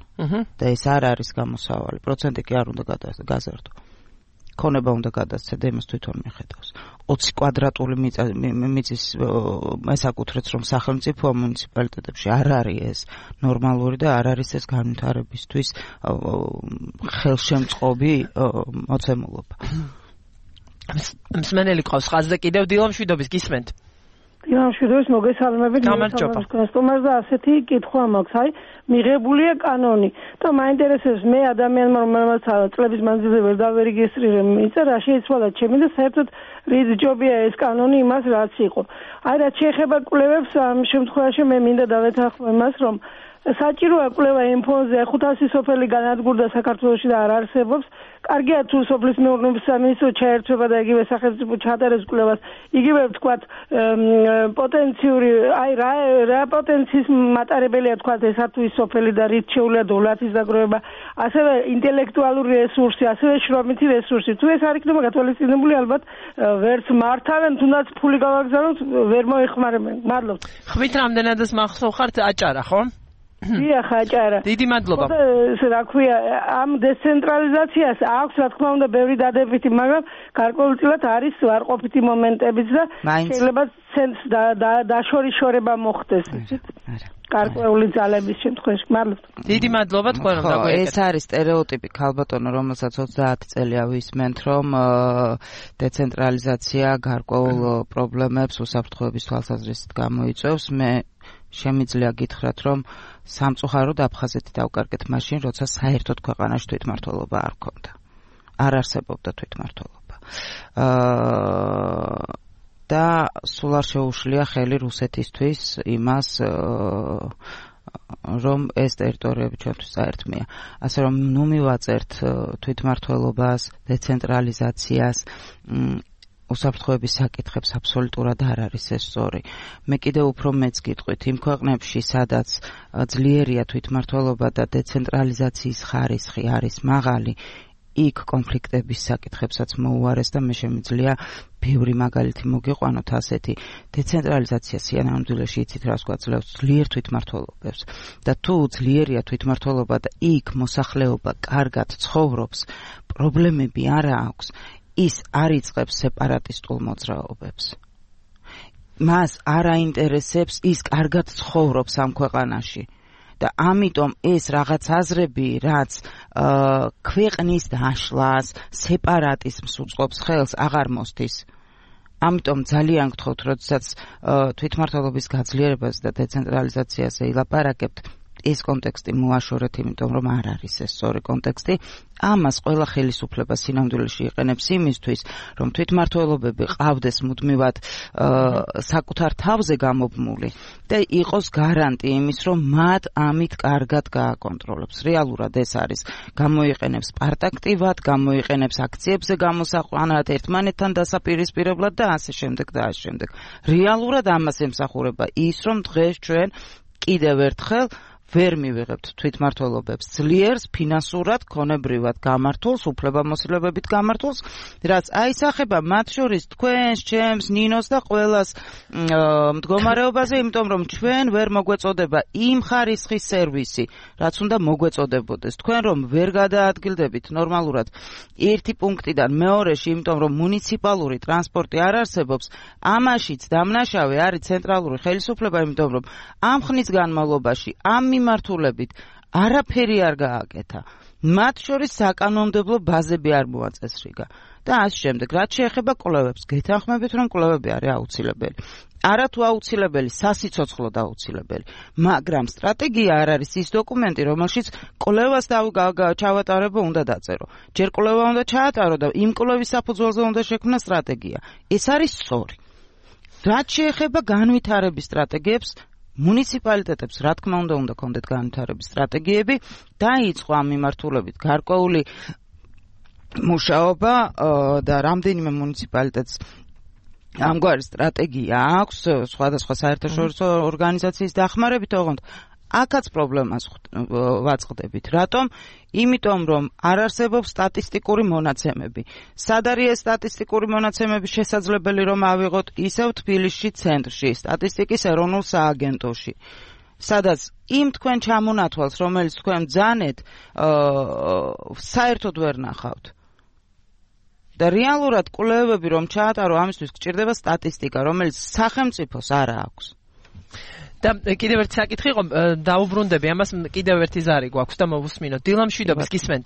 და ეს არ არის გამოსავალი. პროცენტი კი არ უნდა გაზარდო. ქონება უნდა გადასცე და იმას თვითონ მიხედავს. ოცი კვადრატული მიწის ესაკუთრებს რომ სახელმწიფო მუნიციპალიტეტებში არ არის ეს ნორმალური და არ არის ეს განვითარებისთვის ხელშემწყობი მოცემულობა. მსმენელი ყავს ხაზზე კიდევ დილა მშვიდობის გისმენთ. დილა მშვიდობის მოგესალმებით. სტუმარს და ასეთი კითხვა მაქვს. აი მიღებულია კანონი და მაინტერესებს მე ადამიანმა რომელმაც წლების მანძილზე ვერ დავერეგისტრირე მიწა რა შეიცვალა ჩემი და საერთოდ რით ჯობია ეს კანონი იმას რაც იყო. აი რაც შეეხება კვლევებს ამ შემთხვევაში მე მინდა დავეთანხმო იმას რომ საჭიროა კვლევა იმ ფონზე ხუთასი სოფელი განადგურდა საქართველოში და არ არსებობს. კარგია თუ სოფლის მეურნეობის სამინისტრო ჩაერთვება და იგივე სახელმწიფო ჩაატარებს კვლევას. იგივე ვთქვათ პოტენციური აი რა რა პოტენციის მატარებელია თქვათ ესა თუ ის სოფელი და რით შეუძლია დოლარის დაგროვება. ასევე ინტელექტუალური რესურსი, ასევე შრომითი რესურსი. თუ ეს არ იქნება გათვალისწინებული ალბათ ვერც მართავენ, თუნდაც ფული გავაგზავნოთ, ვერ მოეხმარებიან. მადლობთ. ხმით რამდენადაც მახსოვ ხართ აჭარა, ხო? დიახ, აჭარა. დიდი მადლობა. რა ქვია, ამ დეცენტრალიზაციას აქვს რა თქმა უნდა ბევრი დადებითი, მაგრამ გარკვეულწილად არის ვარყოფითი მომენტებიც და შეიძლება ცენტრს დაშორიშორება მოხდეს. გარკვეული ძალების შემთხვევაში. მადლობთ. დიდი მადლობა თქვენ რომ დაგვიეკეთ. ეს არის სტერეოტიპი ქალბატონო, რომელსაც ოცდაათი წელია ვისმენთ, რომ დეცენტრალიზაცია გარკვეულ პრობლემებს უსაფრთხოების თვალსაზრისით გამოიწვევს. მე შემიძლია გითხრათ, რომ სამწუხაროდ აფხაზეთი დავკარგეთ მაშინ, როცა საერთოდ ქვეყანაში თვითმმართველობა არ ჰქონდა. არ არსებობდა თვითმმართველობა. აა და სულ არ შეუშლია ხელი რუსეთისთვის იმას, რომ ეს ტერიტორიები ჩვენთვის საერთმეა. ასე რომ ნუ მივაწერთ თვითმმართველობას, დეცენტრალიზაციას, უსაფრთხოების საკითხებს აბსოლუტურად არ არის ეს სწორი. მე კიდევ უფრო მეც გიტყვით, იმ ქვეყნებში, სადაც ძლიერია თვითმმართველობა და დეცენტრალიზაციის ხარისხი არის მაღალი, იქ კონფლიქტების საკითხებსაც მოუარეს და მე შემიძლია ბევრი მაგალითი მოგიყვანოთ ასეთი. დეცენტრალიზაცია სინამდვილეში იცით რას გვაძლევს? ძლიერ თვითმმართველობებს. და თუ ძლიერია თვითმმართველობა და იქ მოსახლეობა კარგად ცხოვრობს, პრობლემები არ აქვს, ის არ იწყებს სეპარატისტულ მოძრაობებს. მას არ აინტერესებს ის კარგად ცხოვრობს ამ ქვეყანაში. და ამიტომ ეს რაღაც აზრები, რაც ქვეყნის დაშლას, სეპარატიზმს უწყობს ხელს, აღარ მოსდის. ამიტომ ძალიან გთხოვთ, როდესაც თვითმმართველობის გაძლიერებას და დეცენტრალიზაციაზე ილაპარაკებთ, ეს კონტექსტი მოაშორეთ, იმიტომ რომ არ არის ეს სწორი კონტექსტი. ამას ყველა ხელისუფლება სინამდვილეში იყენებს იმისთვის, რომ თვითმმართველობები ყავდეს მუდმივად საკუთარ თავზე გამობმული და იყოს გარანტი იმის, რომ მათ ამით კარგად გააკონტროლებს. რეალურად ეს არის. გამოიყენებს პარტაქტივად, გამოიყენებს აქციებზე გამოსაყვანად, ერთმანეთთან დასაპირისპირებლად და ასე შემდეგ და ასე შემდეგ. რეალურად ამას ემსახურება ის, რომ დღეს ჩვენ კიდევ ერთხელ ვერ მივიღებთ თვითმმართველობებს ძლიერს, ფინანსურად, ქონებრივად გამართულს, უფლებამოსილებებით გამართულს, რაც აისახება მათ შორის თქვენს, ჩემს, ნინოს და ყველას მდგომარეობაზე, იმიტომ რომ ჩვენ ვერ მოგვეწოდება იმ ხარისხის სერვისი, რაც უნდა მოგვეწოდებოდეს. თქვენ რომ ვერ გადაადგილდებით ნორმალურად ერთი პუნქტიდან მეორეში, იმიტომ რომ მუნიციპალური ტრანსპორტი არ არსებობს, ამაშიც დამნაშავე არის ცენტრალური ხელისუფლება, იმიტომ რომ ამ ხნის განმავლობაში ამ მიმართულებით არაფერი არ გააკეთა. მათ შორის საკანონმდებლო ბაზები არ მოაწესრიგა. და ასე შემდეგ, რაც შეეხება კვლევებს, გეთანხმებით, რომ კვლევები არის აუცილებელი. არა თუ აუცილებელი, სასიცოცხლოდ აუცილებელი. მაგრამ სტრატეგია არ არის ის დოკუმენტი, რომელშიც კვლევას ჩავატარებო უნდა დაწერო. ჯერ კვლევა უნდა ჩაატარო და იმ კვლევის საფუძველზე უნდა შექმნა სტრატეგია. ეს არის სწორი. რაც შეეხება განვითარების სტრატეგიებს, მუნიციპალიტეტებს, რა თქმა უნდა, უნდა კონდეთ განვითარების სტრატეგიები, დაიწყო ამ მიმართულებით გარკვეული მუშაობა და რამდენიმე მუნიციპალიტეტს ამგვარი სტრატეგია აქვს სხვადასხვა საერთაშორისო ორგანიზაციის დახმარებით, ოღონდ აქაც პრობლემას ვაწყდებით. რატომ? იმიტომ რომ არ არსებობს სტატისტიკური მონაცემები. სად არის ეს სტატისტიკური მონაცემები შესაძლებელი რომ ავიღოთ? ისევ თბილისში ცენტრში, სტატისტიკის ეროვნულ სააგენტოში. სადაც იმ თქვენ ჩამონათვალს, რომელიც თქვენ ბრძანეთ, საერთოდ ვერ ნახავთ. და რეალურად კვლევები რომ ჩაატარო, ამისთვის გჭირდება სტატისტიკა, რომელიც სახელმწიფოს არ აქვს. და კიდევ ერთი საკითხი იყო, დაუბრუნდები ამას, კიდევ ერთი ზარი გვაქვს და მოვუსმინოთ. დილა მშვიდობის, გისმენთ?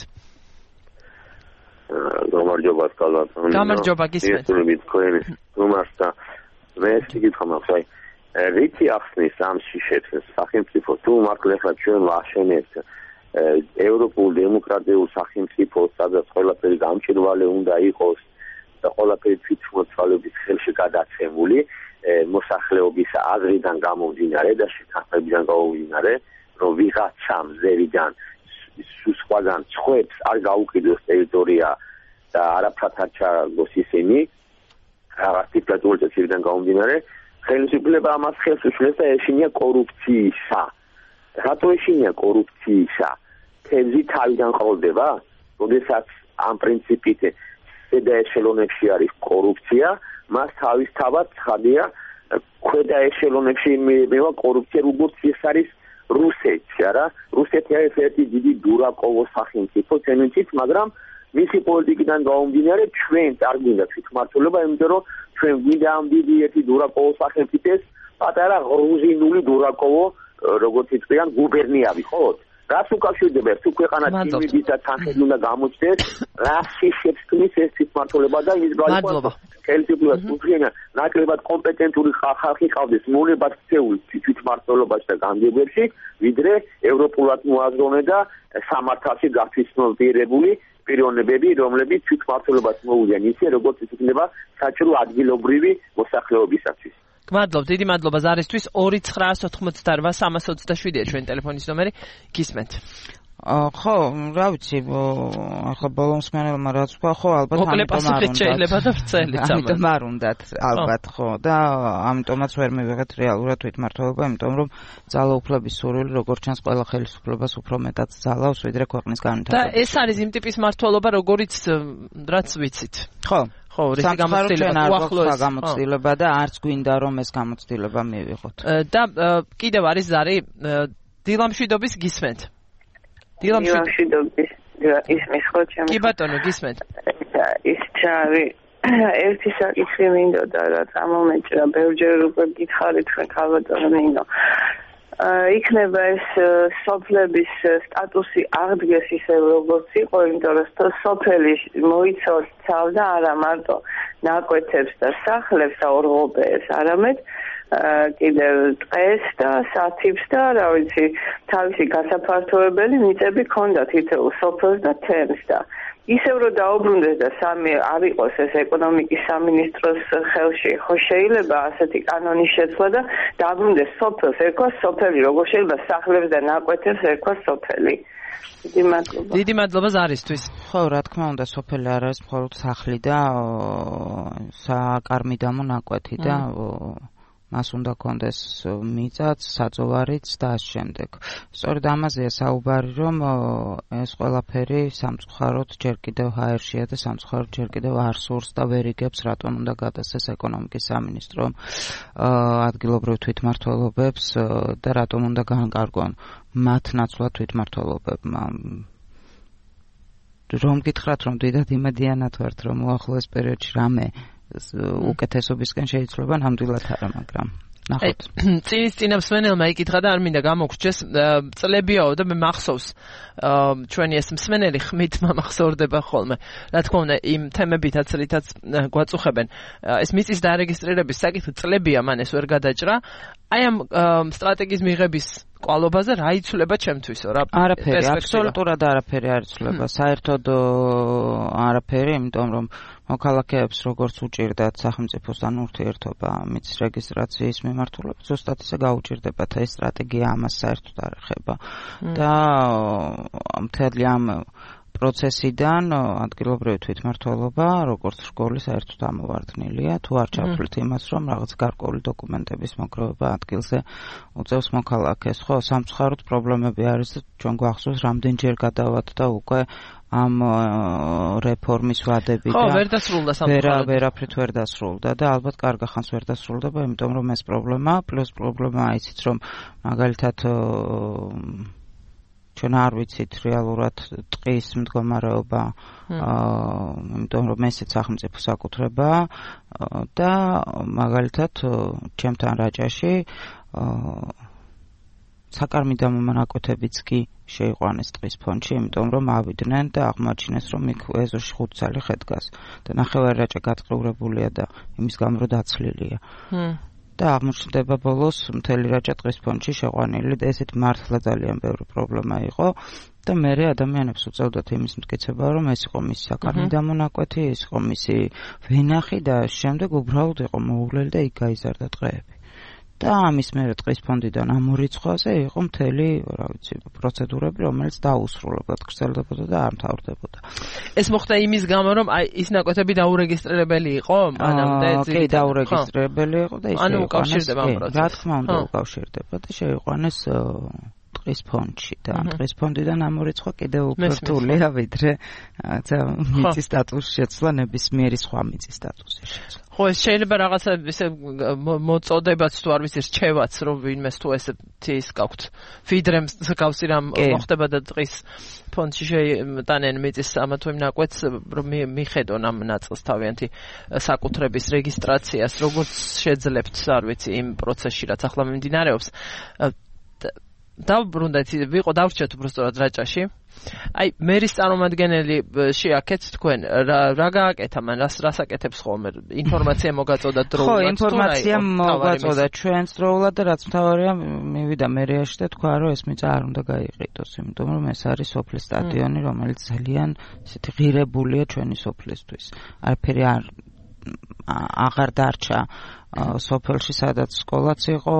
გამარჯობა, კალათონი. გამარჯობა, გისმენთ. ისურვით თქვენი უმარს და მე ეს კითხვა მაქვს, აი, რითი ახსნის ამ შიშებს სახელმწიფო თუ მართლა ახლა ჩვენ ვაშენებთ ევროპულ დემოკრატიულ სახელმწიფოს, სადაც ყველაფერი გამჭირვალე უნდა იყოს და ყველაფერი თვითმმართველობის ხელში გადაცემული, მოსახლეობის აზრიდან გამომდინარე და შეთანხმებიდან გამომდინარე, რომ ვიღაცამ ზევიდან სხვაგან ცხვებს არ გაუყიდოს ტერიტორია და არაფრად არ ჩააგოს ისინი, რაღაც დიქტატურული წესებიდან გამომდინარე, ხელისუფლება ამას ხელს უშლის და ეშინია კორუფციისა. რატო ეშინია კორუფციისა? თევზი თავიდან ყოლდება, როდესაც ამ პრინციპით ზედა ეშელონებში არის კორუფცია, მას თავისთავად ცხადია ქვედა ეშელონებში მევა კორუფცია, როგორც ეს არის რუსეთში, არა? რუსეთი არის ერთი დიდი დურაკოვოს სახელმწიფო თემით, მაგრამ მისი პოლიტიკიდან გამომდინარე ჩვენ არ გვინდა თვითმმართველობა, იმიტომ რომ ჩვენ გვინდა ამ დიდი ერთი დურაკოვოს სახელმწიფოს პატარა გრუზინული დურაკოვო, როგორც იწვიან, გუბერნია ვიყოთ. რას უკავშირდება თუ ქვეყანა ტიმიდით და თანხები უნდა გამოჩნდეს, რას შიშებს თმის ეს თვითმმართველობა და ის გაიყვანოს ხელისუფლებას უძღვენა ნაკლებად კომპეტენტური ხალხი ყავდეს მონებად ქცეული თვითმმართველობაში და განგებებში, ვიდრე ევროპულად მოაზროვნე და სამართალში გათვითმფრინავებული პიროვნებები, რომლებიც თვითმმართველობას მოუვიან ისე, როგორც ის იქნება საჭირო ადგილობრივი მოსახლეობისათვის. გმადლობ, დიდი მადლობა ზარისთვის. ორი ცხრაას ოთხმოცდაოთხ სამას ოცდაშვიდია ჩვენი ტელეფონის ნომერი. გისმენთ. ხო, რა ვიცი, ახლა ბოლომსმენელმა რაც თქვა, ხო, ალბათ ამიტომ არ უნდა შეიძლება და ვრცელიც ამიტომ არ უნდათ, ალბათ, ხო, და ამიტომაც ვერ მივიღეთ რეალურად თვითმმართველობა, იმიტომ რომ ძალაუფლების სურვილი როგორც ჩანს ყველა ხელისუფლებას უფრო მეტად ძალავს, ვიდრე ქვეყნის განვითარება. და ეს არის იმ ტიპის მმართველობა, როგორიც რაც ვიცით. ხო. ხო, რისი გამოცდილება უახლოეს გამოცდილება და არც გვინდა რომ ეს გამოცდილება მივიღოთ. და კიდევ არის ზარი დილამშვიდობის გისმენთ. დილამშვიდობის ისმის ხო ჩემი. კი ბატონო, გისმენთ. ის ჩარი ერთი საკითხი მინდოდა რა წამომეჭრა, ბევრჯერ უკვე გითხარით თქვენ ქალბატონო ნინო. იქნება ეს სოფლების სტატუსი აღდგეს ისე როგორც იყო, იმიტომ რომ სოფელი მოიცავდა არა მარტო ნაკვეთებს და სახლებს და ორღობეებს, არამედ კიდევ ტყეს და სათიბს და რა ვიცი, თავისი გასაფართოებელი მიწები ჰქონდა თითოეულ სოფელს და თემს და ისევ რომ დაუბრუნდეს და სამი არ იყოს ეს ეკონომიკის სამინისტროს ხელში, ხო შეიძლება ასეთი კანონის შეცვლა და დაუბრუნდეს სოფელს, ერქვა სოფელი, როგორ შეიძლება სახლებს და ნაკვეთებს ერქვა სოფელი. დიდი მადლობა. დიდი მადლობა ზარისთვის. ხო, რა თქმა უნდა, სოფელი არ არის მხოლოდ სახლი და საკარმიდამო ნაკვეთი და მას უნდა კონდეს მიწაც, საძოვარიც და ამ შემდეგ. სწორედ ამაზეა საუბარი, რომ ეს ყველაფერი სამწუხაროდ ჯერ კიდევ ჰაერშია და სამწუხაროდ ჯერ კიდევ არ სურს და ვერ იგებს, რატომ უნდა გადასცეს ეკონომიკის სამინისტრომ ადგილობრივ თვითმმართველობებს და რატომ უნდა განკარგონ მათ ნაცვლად თვითმმართველობებმა. რომ გითხრათ, რომ დიდად იმედიანად ვართ, რომ უახლოეს პერიოდში რამე უკეთესობისკენ შეიძლება, ნამდვილად არა, მაგრამ ნახოთ. წინის წინამსმენელმა იკითხა და არ მინდა გამოგრჩეს, წლებიაო და მე მახსოვს ჩვენი ეს მსმენელი ხმით მომახსოვრდება ხოლმე. რა თქმა უნდა, იმ თემებითაც რითაც გვაწუხებენ. ეს მიწის დარეგისტრირების საკითხი წლებია მან ეს ვერ გადაჭრა. აი ამ სტრატეგიის მიღების კვალობაზე რა იცვლება ჩემთვისო რა? არაფერი, აბსოლუტურად არაფერი არ იცვლება. საერთოდ არაფერი, იმიტომ რომ მოქალაქეებს როგორც უჭირდათ სახელმწიფოსთან ურთიერთობა მიწის რეგისტრაციის მიმართულებით, ზუსტად ისე გაუჭირდებათ, ეს სტრატეგია ამას საერთოდ არ ეხება. და მთელი ამ პროცესიდან ადგილობრივი თვითმმართველობა როგორც სკოლის საერთოდ ამოვარდნილია თუ არ ჩავთვლით იმას რომ რაღაც გარკვეული დოკუმენტების მოგროვება ადგილზე უწევს მოქალაქეს ხო სამწუხაროდ პრობლემები არის ჩვენ გვახსოვს რამდენჯერ გადავად და უკვე ამ რეფორმის ვადები და ხო ვერ დასრულდა სამწუხაროდ ვერაფრით ვერ დასრულდა და ალბათ კარგა ხანს ვერ დასრულდება იმიტომ რომ ეს პრობლემა პლუს პრობლემაა ისიც რომ მაგალითად ჩვენ არ ვიცით რეალურად ტყის მდგომარეობა იმიტომ რომ ესეც სახელმწიფო საკუთრება და მაგალითად ჩემთან რაჭაში საკარმიდამო მონაკვეთებიც კი შეიყვანეს ტყის ფონდში, იმიტომ რომ ავიდნენ და აღმოაჩინეს რომ იქ ეზოში ხუთ ცალი ხე-დგას და ნახევარი რაჭა გატყურებულია და იმის გამო რომ დაცლილია. და აღმოჩნდება ბოლოს მთელი რაჭა ტყის ფონდში შეყვანილი და ესეთ მართლა ძალიან ბევრი პრობლემა იყო და მე ადამიანებს უწევდათ იმის მტკიცება რომ ეს იყო მისი საკარმიდამო მონაკვეთი, ეს იყო მისი ვენახი და შემდეგ უბრალოდ იყო მოუვლელი და იქ გაიზარდა ტყეები. და ამის მერე ტყის ფონდიდან ამ ორი რიცხვაზე იყო მთელი, რა ვიცი, პროცედურები, რომელიც დაუსრულებლად გრძელდებოდა და არ მთავრდებოდა. ეს მოხდა იმის გამო, რომ აი ის ნაკვეთები დაურეგისტრირებელი იყო, მანამდე ძირითადად. კი, დაურეგისტრირებელი იყო და ის ანუ უკავშირდება ამ პროცესს. რა თქმა უნდა, უკავშირდება და შეიყვანეს ტყის ფონდში და ამ ტყის ფონდიდან ამ ორი რიცხვი კიდევ უფრო რთულია, ვიდრე მიწის სტატუსის შეცვლა ნებისმიერი სხვა მიწის სტატუსის შეცვლა. ხო ეს შეიძლება რაღაცა ისე მოწოდებაც თუ არ ვიცი რჩევაც რომ ვინმეს თუ ესეთი ის გაქვთ ფიდრემს გავსი რამ მოხდება და ტყის ფონდში შეიტანენ მიწის ამა თუ იმ ნაკვეთს რომ მიხედონ ამ ნაწილს თავიანთი საკუთრების რეგისტრაციას როგორც შეძლებთ არ ვიცი იმ პროცესში რაც ახლა მიმდინარეობს დავბრუნდეთ ვიყო დავრჩეთ უბრალოდ რაჭაში აი მერის წარმომადგენელი შეაქეთ თქვენ რა გააკეთა მან რას რას აკეთებს ხოლმე ინფორმაცია მოგაწოდა დროულად ხო ინფორმაცია მოგაწოდა ჩვენს დროულად და რაც მთავარია მივიდა მერიაში და თქვა რომ ეს მიწა არ უნდა გაიყიდოს იმიტომ რომ ეს არის სოფლის სტადიონი რომელიც ძალიან ისეთი ღირებულია ჩვენი სოფლისთვის არაფერი არ აღარ დარჩა სოფელში სადაც სკოლაც იყო,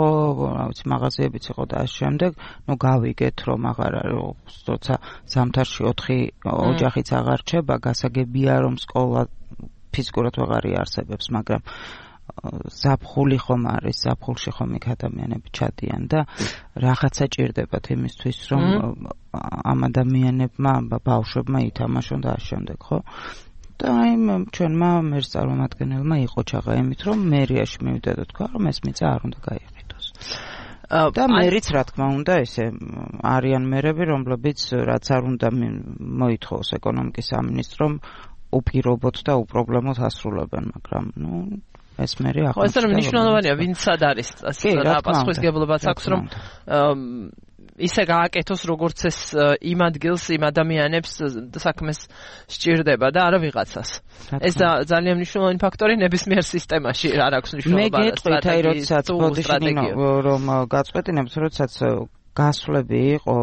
რა ვიცი, მაღაზიებიც იყო და ამ შემდეგ, ნუ გავიგეთ რომ აღარ არის, როცა ზამთარში ოთხი ოჯახიც აღარ რჩება, გასაგებია რომ სკოლა ფიზიკურად აღარ იარსებებს, მაგრამ ზაფხული ხომ არის, ზაფხულში ხომ იქ ადამიანები ჩადიან და რაღაცა ჭირდებათ იმისთვის რომ ამ ადამიანებმა, ბავშვებმა ითამაშონ და ამ შემდეგ, ხო? და იმ ჩვენმა მერს წარმომადგენელმა იყო ჩაღა იმით რომ მერიაში მივიდა და თქვა რომ ეს მიწა არ უნდა გაიყიდოს. და მერიც რა თქმა უნდა ესე არიან მერები რომლებიც რაც არ უნდა მოითხოვოს ეკონომიკის სამინისტრომ უპირობოდ და უპრობლემოდ ასრულებენ მაგრამ ნუ ეს მერი ახლა ეს რომ მნიშვნელოვანია ვინც სად არის რა პასუხისგებლობაც აქვს რომ ისე გააკეთოს როგორც ეს იმ ადგილს იმ ადამიანებს საქმეს სჭირდება და არა ვიღაცას. ეს ძალიან მნიშვნელოვანი ფაქტორი ნებისმიერ სისტემაში არ აქვს მნიშვნელობა. მე გეტყვით აი როდესაც ბოდიშინო რომ გაწყვეტინებთ როდესაც გასვლები იყო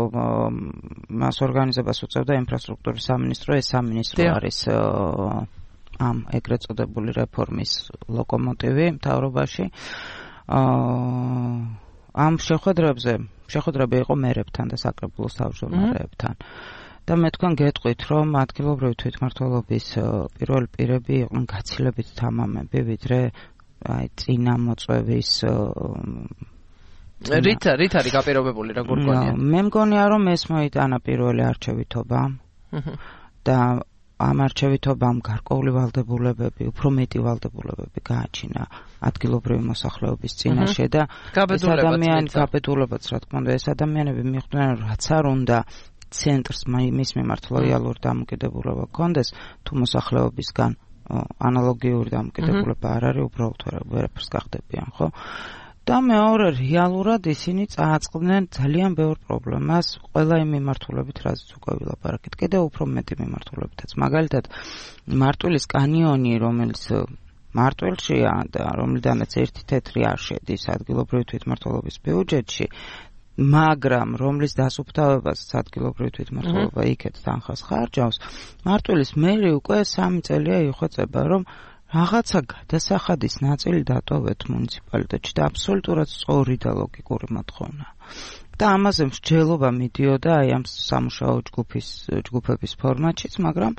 მას ორგანიზებას უწევდა ინფრასტრუქტურის სამინისტრო ეს სამინისტრო არის ამ ეგრეთ წოდებული რეფორმის ლოკომოტივი მთავრობაში ამ შეხვედრებზე შეხვედრები იყო მერებთან და საკრებულოს თავმჯდომარეებთან. და მე თქვენ გეტყვით, რომ ადგილობრივი თვითმმართველობის პირველი პირები იყვნენ გაცილებით თამამები, ვიდრე აი წინა მოწვევის რით რით არის გაპირობებული რა გურგონია? მე მგონია რომ ეს მოიტანა პირველი არჩევითობა. და ამ არჩევითობამ გარკვეული ვალდებულებები, უფრო მეტი ვალდებულებები გააჩინა ადგილობრივი მოსახლეობის წინაშე და ეს ადამიანი გაბედულებაც რა თქმა უნდა ეს ადამიანები მიხვდნენ რაც არ უნდა ცენტრს მის მიმართ ლოიალური დამოკიდებულება გქონდეს თუ მოსახლეობისგან ანალოგიური დამოკიდებულება არ არის უბრალოდ ვერაფერს გახდებიან ხო და მეორე რეალურად ისინი წააწყდნენ ძალიან ბევრ პრობლემას ყველა იმ მიმართულებით რაზეც უკვე ვილაპარაკეთ კიდევ უფრო მეტი მიმართულებითაც მაგალითად მარტვილის კანიონი რომელიც მარტვილშია და რომლიდანაც ერთი თეთრი არ შედის ადგილობრივი თვითმმართველობის ბიუჯეტში მაგრამ რომლის დასუფთავებას ადგილობრივი თვითმმართველობა იქეთ თანხას ხარჯავს მარტვილის მერი უკვე სამი წელია იხვეწება რომ რაღაცა გადასახადის ნაწილი დატოვეთ მუნიციპალიტეტში და აბსოლუტურად სწორი და ლოგიკური მოთხოვნა. და ამაზე მსჯელობა მიდიოდა აი ამ სამუშაო ჯგუფის ჯგუფების ფორმატშიც, მაგრამ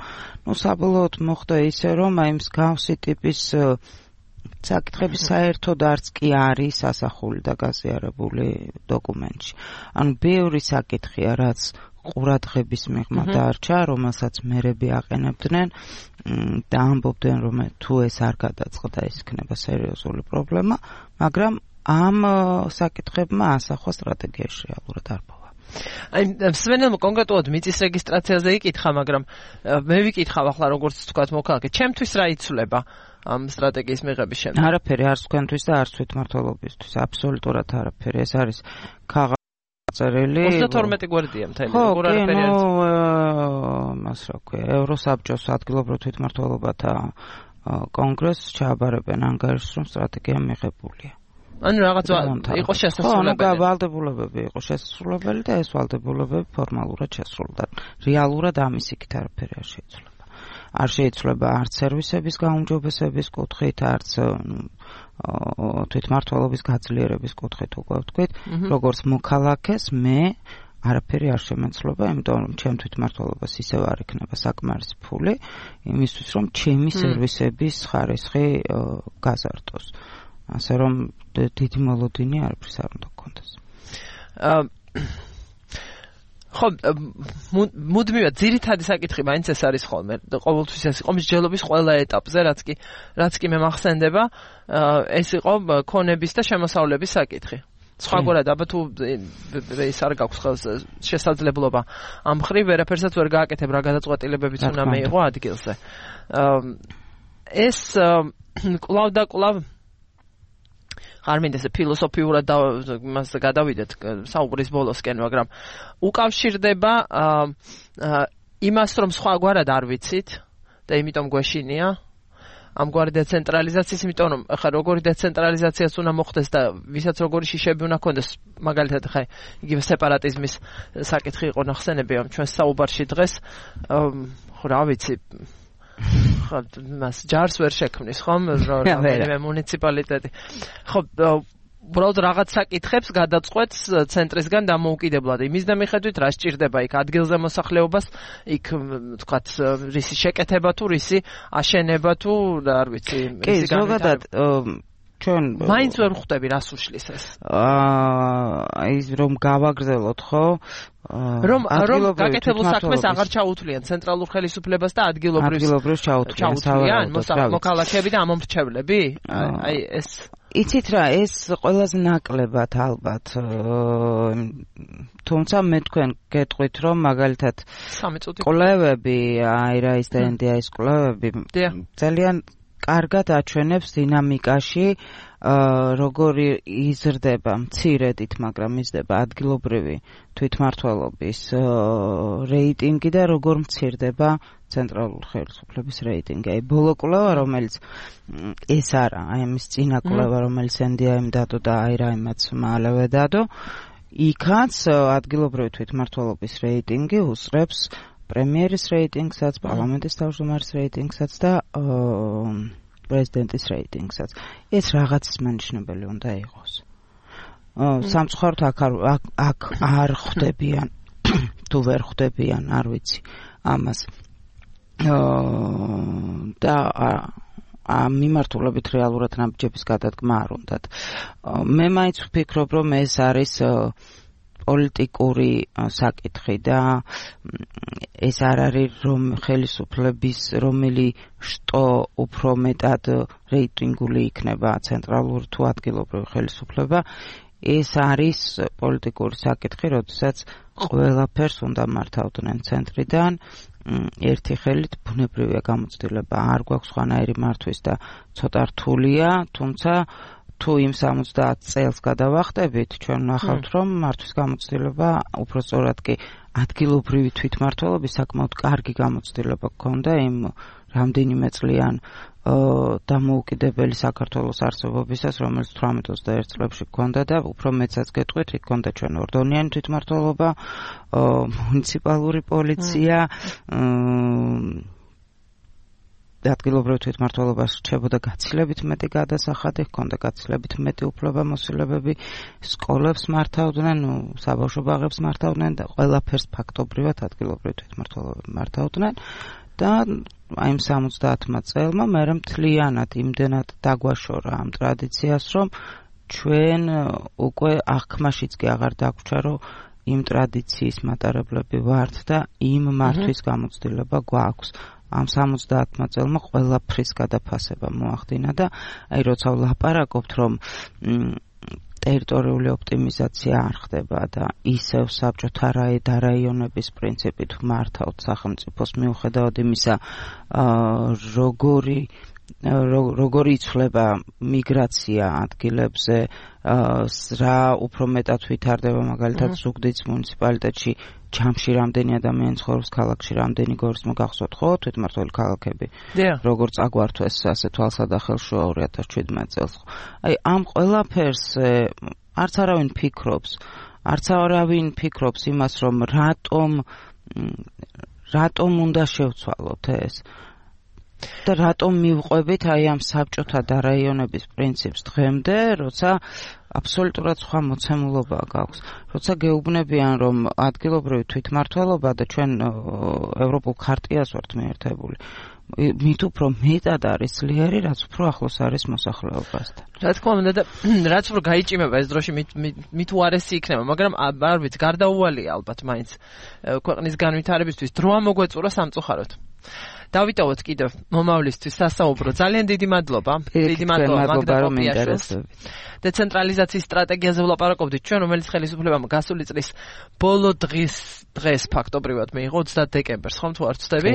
ნუ საბოლოოდ მოხდა ისე, რომ აი მსგავსი ტიპის საკითხები საერთოდ არც კი არის ასახული და გაზიარებული დოკუმენტში. ანუ ბევრი საკითხია, რაც ყურადღების მიღმა დარჩა, რომელსაც მერები აყენებდნენ და ამბობდნენ, რომ თუ ეს არ გადაწყდა, ის იქნება სერიოზული პრობლემა, მაგრამ ამ საკითხებმა ასახვა სტრატეგიაში რეალურად არ პოვა. აი, სვენელმა კონკრეტულად მიწის რეგისტრაციაზე იკითხა, მაგრამ მე ვიკითხავ ახლა როგორც თქვათ მოქალაქე, ჩემთვის რა იცვლება ამ სტრატეგიის მიღების შემდეგ? არაფერი, არც თქვენთვის და არც თვითმმართველობისთვის, აბსოლუტურად არაფერი. ეს არის ქაღალდზე ოცდათორმეტი გვერდია მთელი, როგორ არაფერი არის? ხო, მას რა ქვია, ევროსაბჭოს ადგილობრივ თვითმმართველობათა კონგრესს ჩააბარებენ ანგარიშს, რომ სტრატეგია მიღებულია. ანუ რაღაც იყო შესასრულებელი. ხო, ვალდებულებები იყო შესასრულებელი და ეს ვალდებულებები ფორმალურად შესრულდა. რეალურად ამის იქით არაფერი არ შეიცვლება. არ შეიცვლება არც სერვისების გაუმჯობესების კუთხით, არც თვითმმართველობის გაძლიერების კუთხით, უკვე ვთქვით, როგორც მოქალაქეს მე არაფერი არ შემეცლობა, იმიტომ რომ ჩემ თვითმმართველობას ისევ არ იქნება საკმარისი ფული იმისთვის, რომ ჩემი სერვისების ხარისხი გაზარდოს. ასე რომ დიდი მოლოდინი არაფრის არ უნდა გქონდეს. ხო, მუდმივად ძირითადი საკითხი მაინც ეს არის ხოლმე. ყოველთვის ეს იყო მსჯელობის ყველა ეტაპზე, რაც კი რაც კი მე მახსენდება, ეს იყო ქონების და შემოსავლების საკითხი. სხვაგვარად, აბა თუ ეს არ გაქვს ხელს შესაძლებლობა ამ მხრივ ვერაფერსაც ვერ გააკეთებ, რა გადაწყვეტილებებიც უნდა მეიღო ადგილზე. ეს კვლავ და კვლავ არ მინდა ესე ფილოსოფიურად და მას გადავიდეთ საუბრის ბოლოსკენ, მაგრამ უკავშირდება იმას, რომ სხვაგვარად არ ვიცით და იმიტომ გვეშინია ამგვარი დეცენტრალიზაციის, იმიტომ რომ ხა როგორი დეცენტრალიზაციაც უნდა მოხდეს და ვისაც როგორი შიშები უნდა ქონდეს, მაგალითად ხა იგივე სეპარატიზმის საკითხი იყო ნახსენები ამ ჩვენს საუბარში დღეს, ხო რა ვიცი, ხო მას ჯარს ვერ შექმნის ხომ რომელიმე მუნიციპალიტეტი. ხო უბრალოდ რაღაც საკითხებს გადაწყვეტს ცენტრისგან დამოუკიდებლად. იმის და მიხედვით რა სჭირდება იქ ადგილზე მოსახლეობას, იქ თქვათ რისი შეკეთება თუ რისი აშენება თუ არ ვიცი, რისი ზოგადად ჩვენ მაინც ვერ ხვდები რას უშლის ეს. აა ის რომ გავაგრძელოთ ხო? რომ რომ გაკეთებულ საქმეს აღარ ჩაუთვლიან ცენტრალურ ხელისუფლებას და ადგილობრივს ჩაუთვლიან მოქალაქეები და ამომრჩევლები? აი ეს იცით რა, ეს ყველაზე ნაკლებად ალბათ. თუმცა მე თქვენ გეტყვით, რომ მაგალითად კვლევები, აი რა ის და ენდიაის კვლევები ძალიან კარგად აჩვენებს დინამიკაში, როგორი იზრდება მცირედით, მაგრამ იზრდება ადგილობრივი თვითმმართველობის რეიტინგი და როგორ მცირდება ცენტრალური ხელისუფლების რეიტინგი. აი ბოლო კვლევა, რომელიც ეს არა, აი ამის წინა კვლევა, რომელიც ენდიაიმ დადო და აი რა იმაც მალევე დადო, იქაც ადგილობრივი თვითმმართველობის რეიტინგი უსწრებს პრემიერის რეიტინგსაც, პარლამენტის თავმჯდომარის რეიტინგსაც და პრეზიდენტის რეიტინგსაც. ეს რაღაცის მანიშნებელი უნდა იყოს. სამწუხაროდ აქ აქ არ ხვდებიან, თუ ვერ ხვდებიან, არ ვიცი ამას. და ამ მიმართულებით რეალურად ნაბიჯების გადადგმა არ უნდათ. მე მაინც ვფიქრობ, რომ ეს არის პოლიტიკური საკითხი და ეს არ არის რომ ხელისუფლების რომელი შტო უფრო მეტად რეიტინგული იქნება ცენტრალური თუ ადგილობრივი ხელისუფლება, ეს არის პოლიტიკური საკითხი, როდესაც ყველაფერს უნდა მართავდნენ ცენტრიდან, ერთი ხელით ბუნებრივია გამოცდილება არ გვაქვს სხვანაირი მართვის და ცოტა რთულია, თუმცა თუ იმ სამოცდაათ წელს გადავახტებით, ჩვენ ვნახავთ, რომ მართვის გამოცდილება უფრო სწორად კი ადგილობრივი თვითმმართველობის საკმაოდ კარგი გამოცდილება გქონდა იმ რამდენიმე წლიან დამოუკიდებელი საქართველოს არსებობისას, რომელიც თვრამეტ ოცდაერთ წლებში გქონდა და უფრო მეცაც გეტყვით, იქ გქონდა ჩვენ ორდონიანი თვითმმართველობა, მუნიციპალური პოლიცია ადგილობრივ თვითმმართველობას რჩებოდა გაცილებით მეტი გადასახადი, ჰქონდა გაცილებით მეტი უფლებამოსილებები, სკოლებს მართავდნენ, ნუ საბავშვო ბაღებს მართავდნენ და ყველაფერს ფაქტობრივად ადგილობრივ თვითმმართველობები მართავდნენ და აი ამ სამოცდაათმა წელმა მერე მთლიანად იმდენად დაგვაშორა ამ ტრადიციას, რომ ჩვენ უკვე აღქმაშიც კი აღარ დაგვჭა, რომ იმ ტრადიციის მატარებლები ვართ და იმ მართვის გამოცდილება გვაქვს. ამ სამოცდაათმა წელმა ყველაფრის გადაფასება მოახდინა და აი როცა ვლაპარაკობთ, რომ ტერიტორიული ოპტიმიზაცია არ ხდება და ისევ საბჭოთა რაიონების პრინციპით მართავთ სახელმწიფოს მიუხედავად იმისა, როგორი როგორი იცვლება მიგრაცია ადგილებზე, რა უფრო მეტად ვითარდება, მაგალითად ზუგდიდის მუნიციპალიტეტში ჯამში რამდენი ადამიანი ცხოვრობს, ქალაქში რამდენი გორის მოგახსოვთ ხო, თვითმმართველი ქალაქები. როგორ წაგვართვეს ასე თვალსადახელშუა ორი ათას შვიდმეტ წელს. აი ამ ყველაფერს არც არავინ ფიქრობს, არც არავინ ფიქრობს იმას, რომ რატომ რატომ უნდა შევცვალოთ ეს. და რატომ მივყვებით აი ამ საბჭოთა და რაიონების პრინციპს დღემდე, როცა აბსოლუტურად სხვა მოცემულობა გაქვს. როცა გეუბნებიან, რომ ადგილობრივი თვითმმართველობა და ჩვენ ევროპულ ხარტიას ვართ მიერთებული, მით უფრო მეტად არის ძლიერი, რაც უფრო ახლოს არის მოსახლეობასთან. რა თქმა უნდა და რაც უფრო გაიჭიმება ეს დროში, მით უარესი იქნება, მაგრამ არ ვიცი, გარდაუვალია ალბათ მაინც ქვეყნის განვითარებისთვის დრო ამოგვეწურა სამწუხაროდ. დავიტოვოთ კიდევ მომავლისთვის სასაუბრო. ძალიან დიდი მადლობა. დიდი მადლობა მაგდა პოპიაშვილს. დეცენტრალიზაციის სტრატეგიაზე ვლაპარაკობდით ჩვენ, რომელიც ხელისუფლებამ გასული წლის ბოლო დღის დღეს ფაქტობრივად მიიღო ოცდაათი დეკემბერს, ხომ თუ არ ვცდები?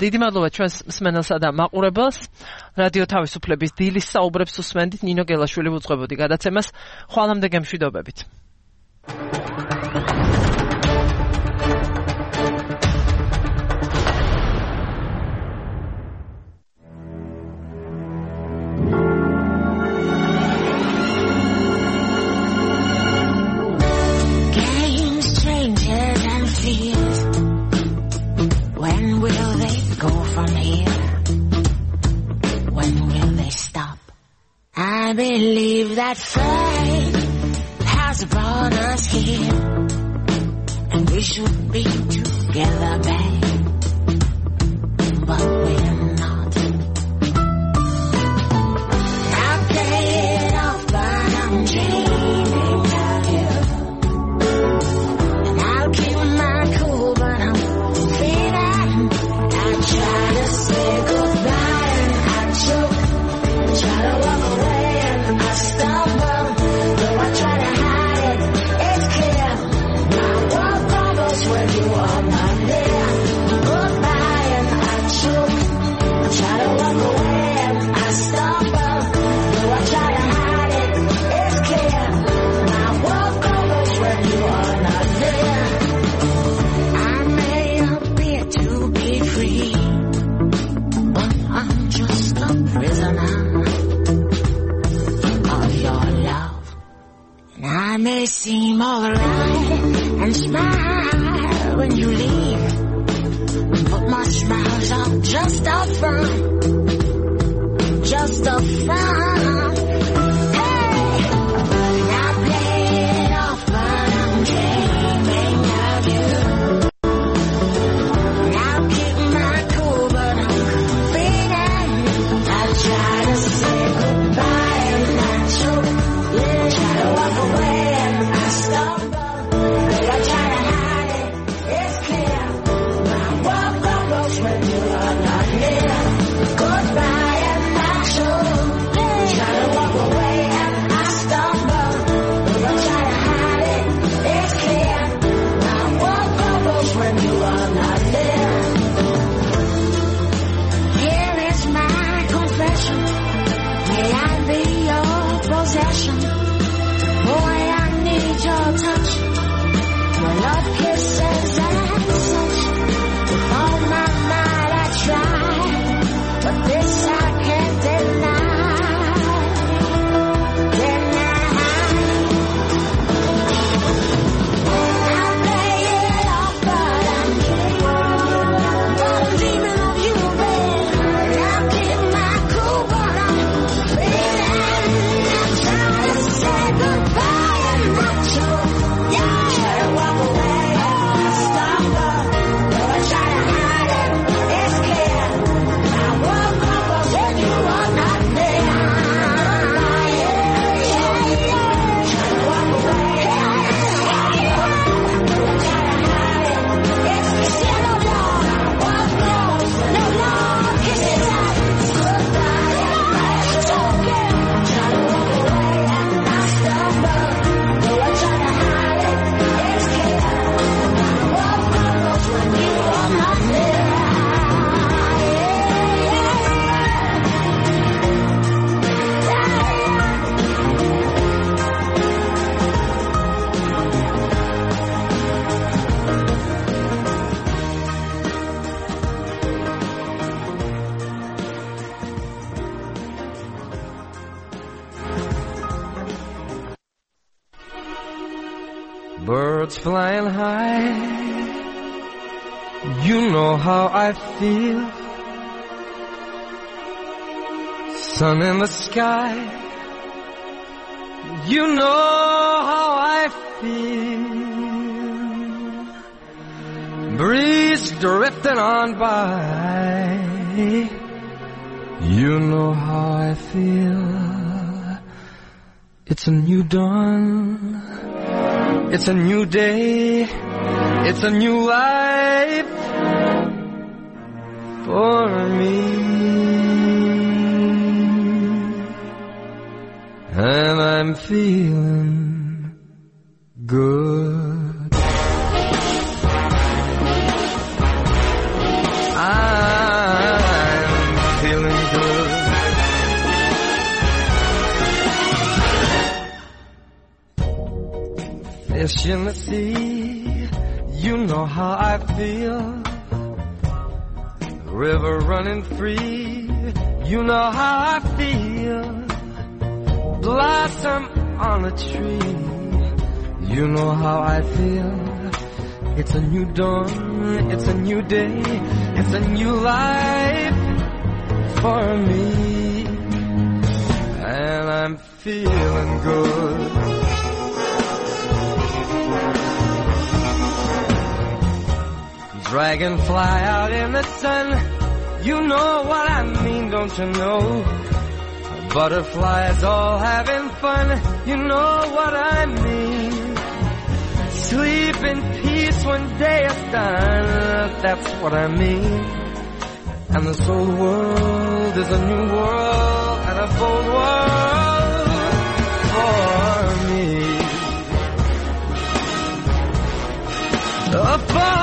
დიდი მადლობა ჩვენს მსმენელსა და მაყურებელს. რადიო თავისუფლების დილის საუბრებს უსმენდით. ნინო გელაშვილი უძღვებოდი გადაცემას. ხვალამდე გემშვიდობებით. When will they go from here? When will they stop? I believe that fate has brought us here, and we should be together, babe, but we're not. I play it off, but I'm dreaming of you, and I'll keep my cool, but I'm try to say goodbye and I choke. Try to walk away and I stumble. Though I try to hide it, it's clear. My world crumbles when you are not there. Goodbye and I choke. Try to walk away and I stumble. Though I try to hide it, it's clear. My world crumbles when you are not there. I may appear to be free, I'm just a prisoner of your love. And I may seem alright and smile when you leave, but my smiles are just a front, just a front. Hey, and I play it off, but I'm dreaming of you. And I'll keep my cool, but I'm try to say goodbye and I choke. Try to walk away and I stumble. But I try to hide it, it's clear. My world crumbles when you are not near. birds flying high. You know how I feel. Sun in the sky. You know how I feel. Breeze drifting on by. You know how I feel. It's a new dawn. It's a new day. It's a new life for me. And I'm feeling good. I'm feeling good. Fish in the sea, you know how I feel. River running free, you know how I feel. Blossom on a tree, you know how I feel. It's a new dawn, it's a new day, it's a new life for me. And I'm feeling good. Dragonfly out in the sun, you know what I mean, don't you know? Butterflies all having fun, you know what I mean. Sleep in peace when day is done, that's what I mean. And this old world is a new world and a bold world for me. For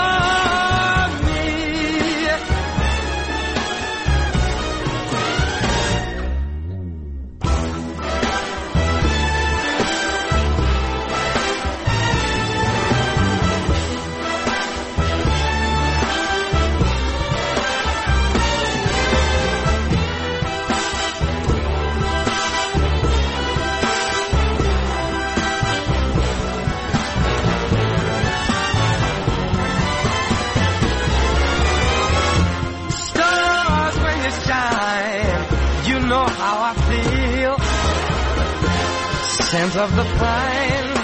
scent of the pine,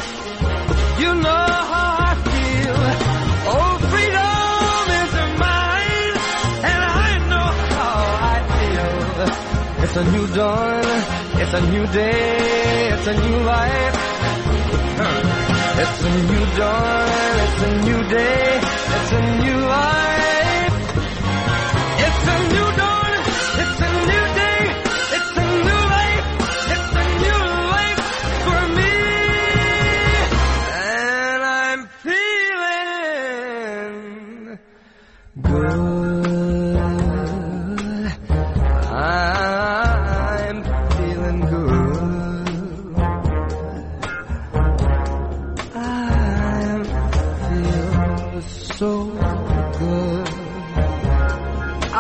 you know how I feel. Oh, freedom is mine, and I know how I feel. It's a new dawn, it's a new day, it's a new life. It's a new dawn, it's a new day, it's a new life. It's a new dawn, it's a new day, it's a new life. It's a new life for me. And I'm feeling good. I'm feeling good. I feel so good. I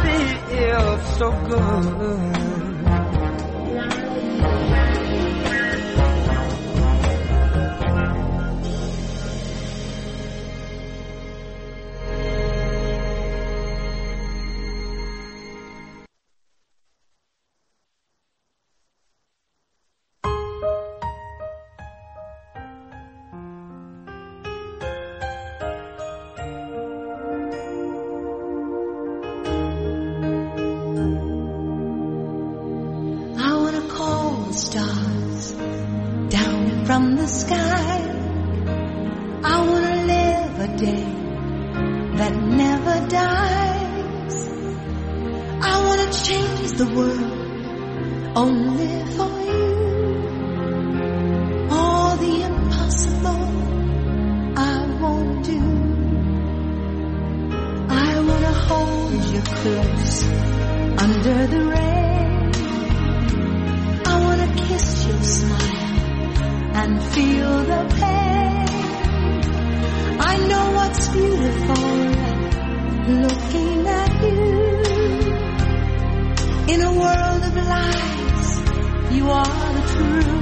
feel so good. From the sky, I wanna live a day that never dies. I wanna change the world only for you. All the impossible I won't do. I wanna hold you close under the rain. I wanna kiss your smile and feel the pain. I know what's beautiful looking at you. In a world of lies, you are the truth.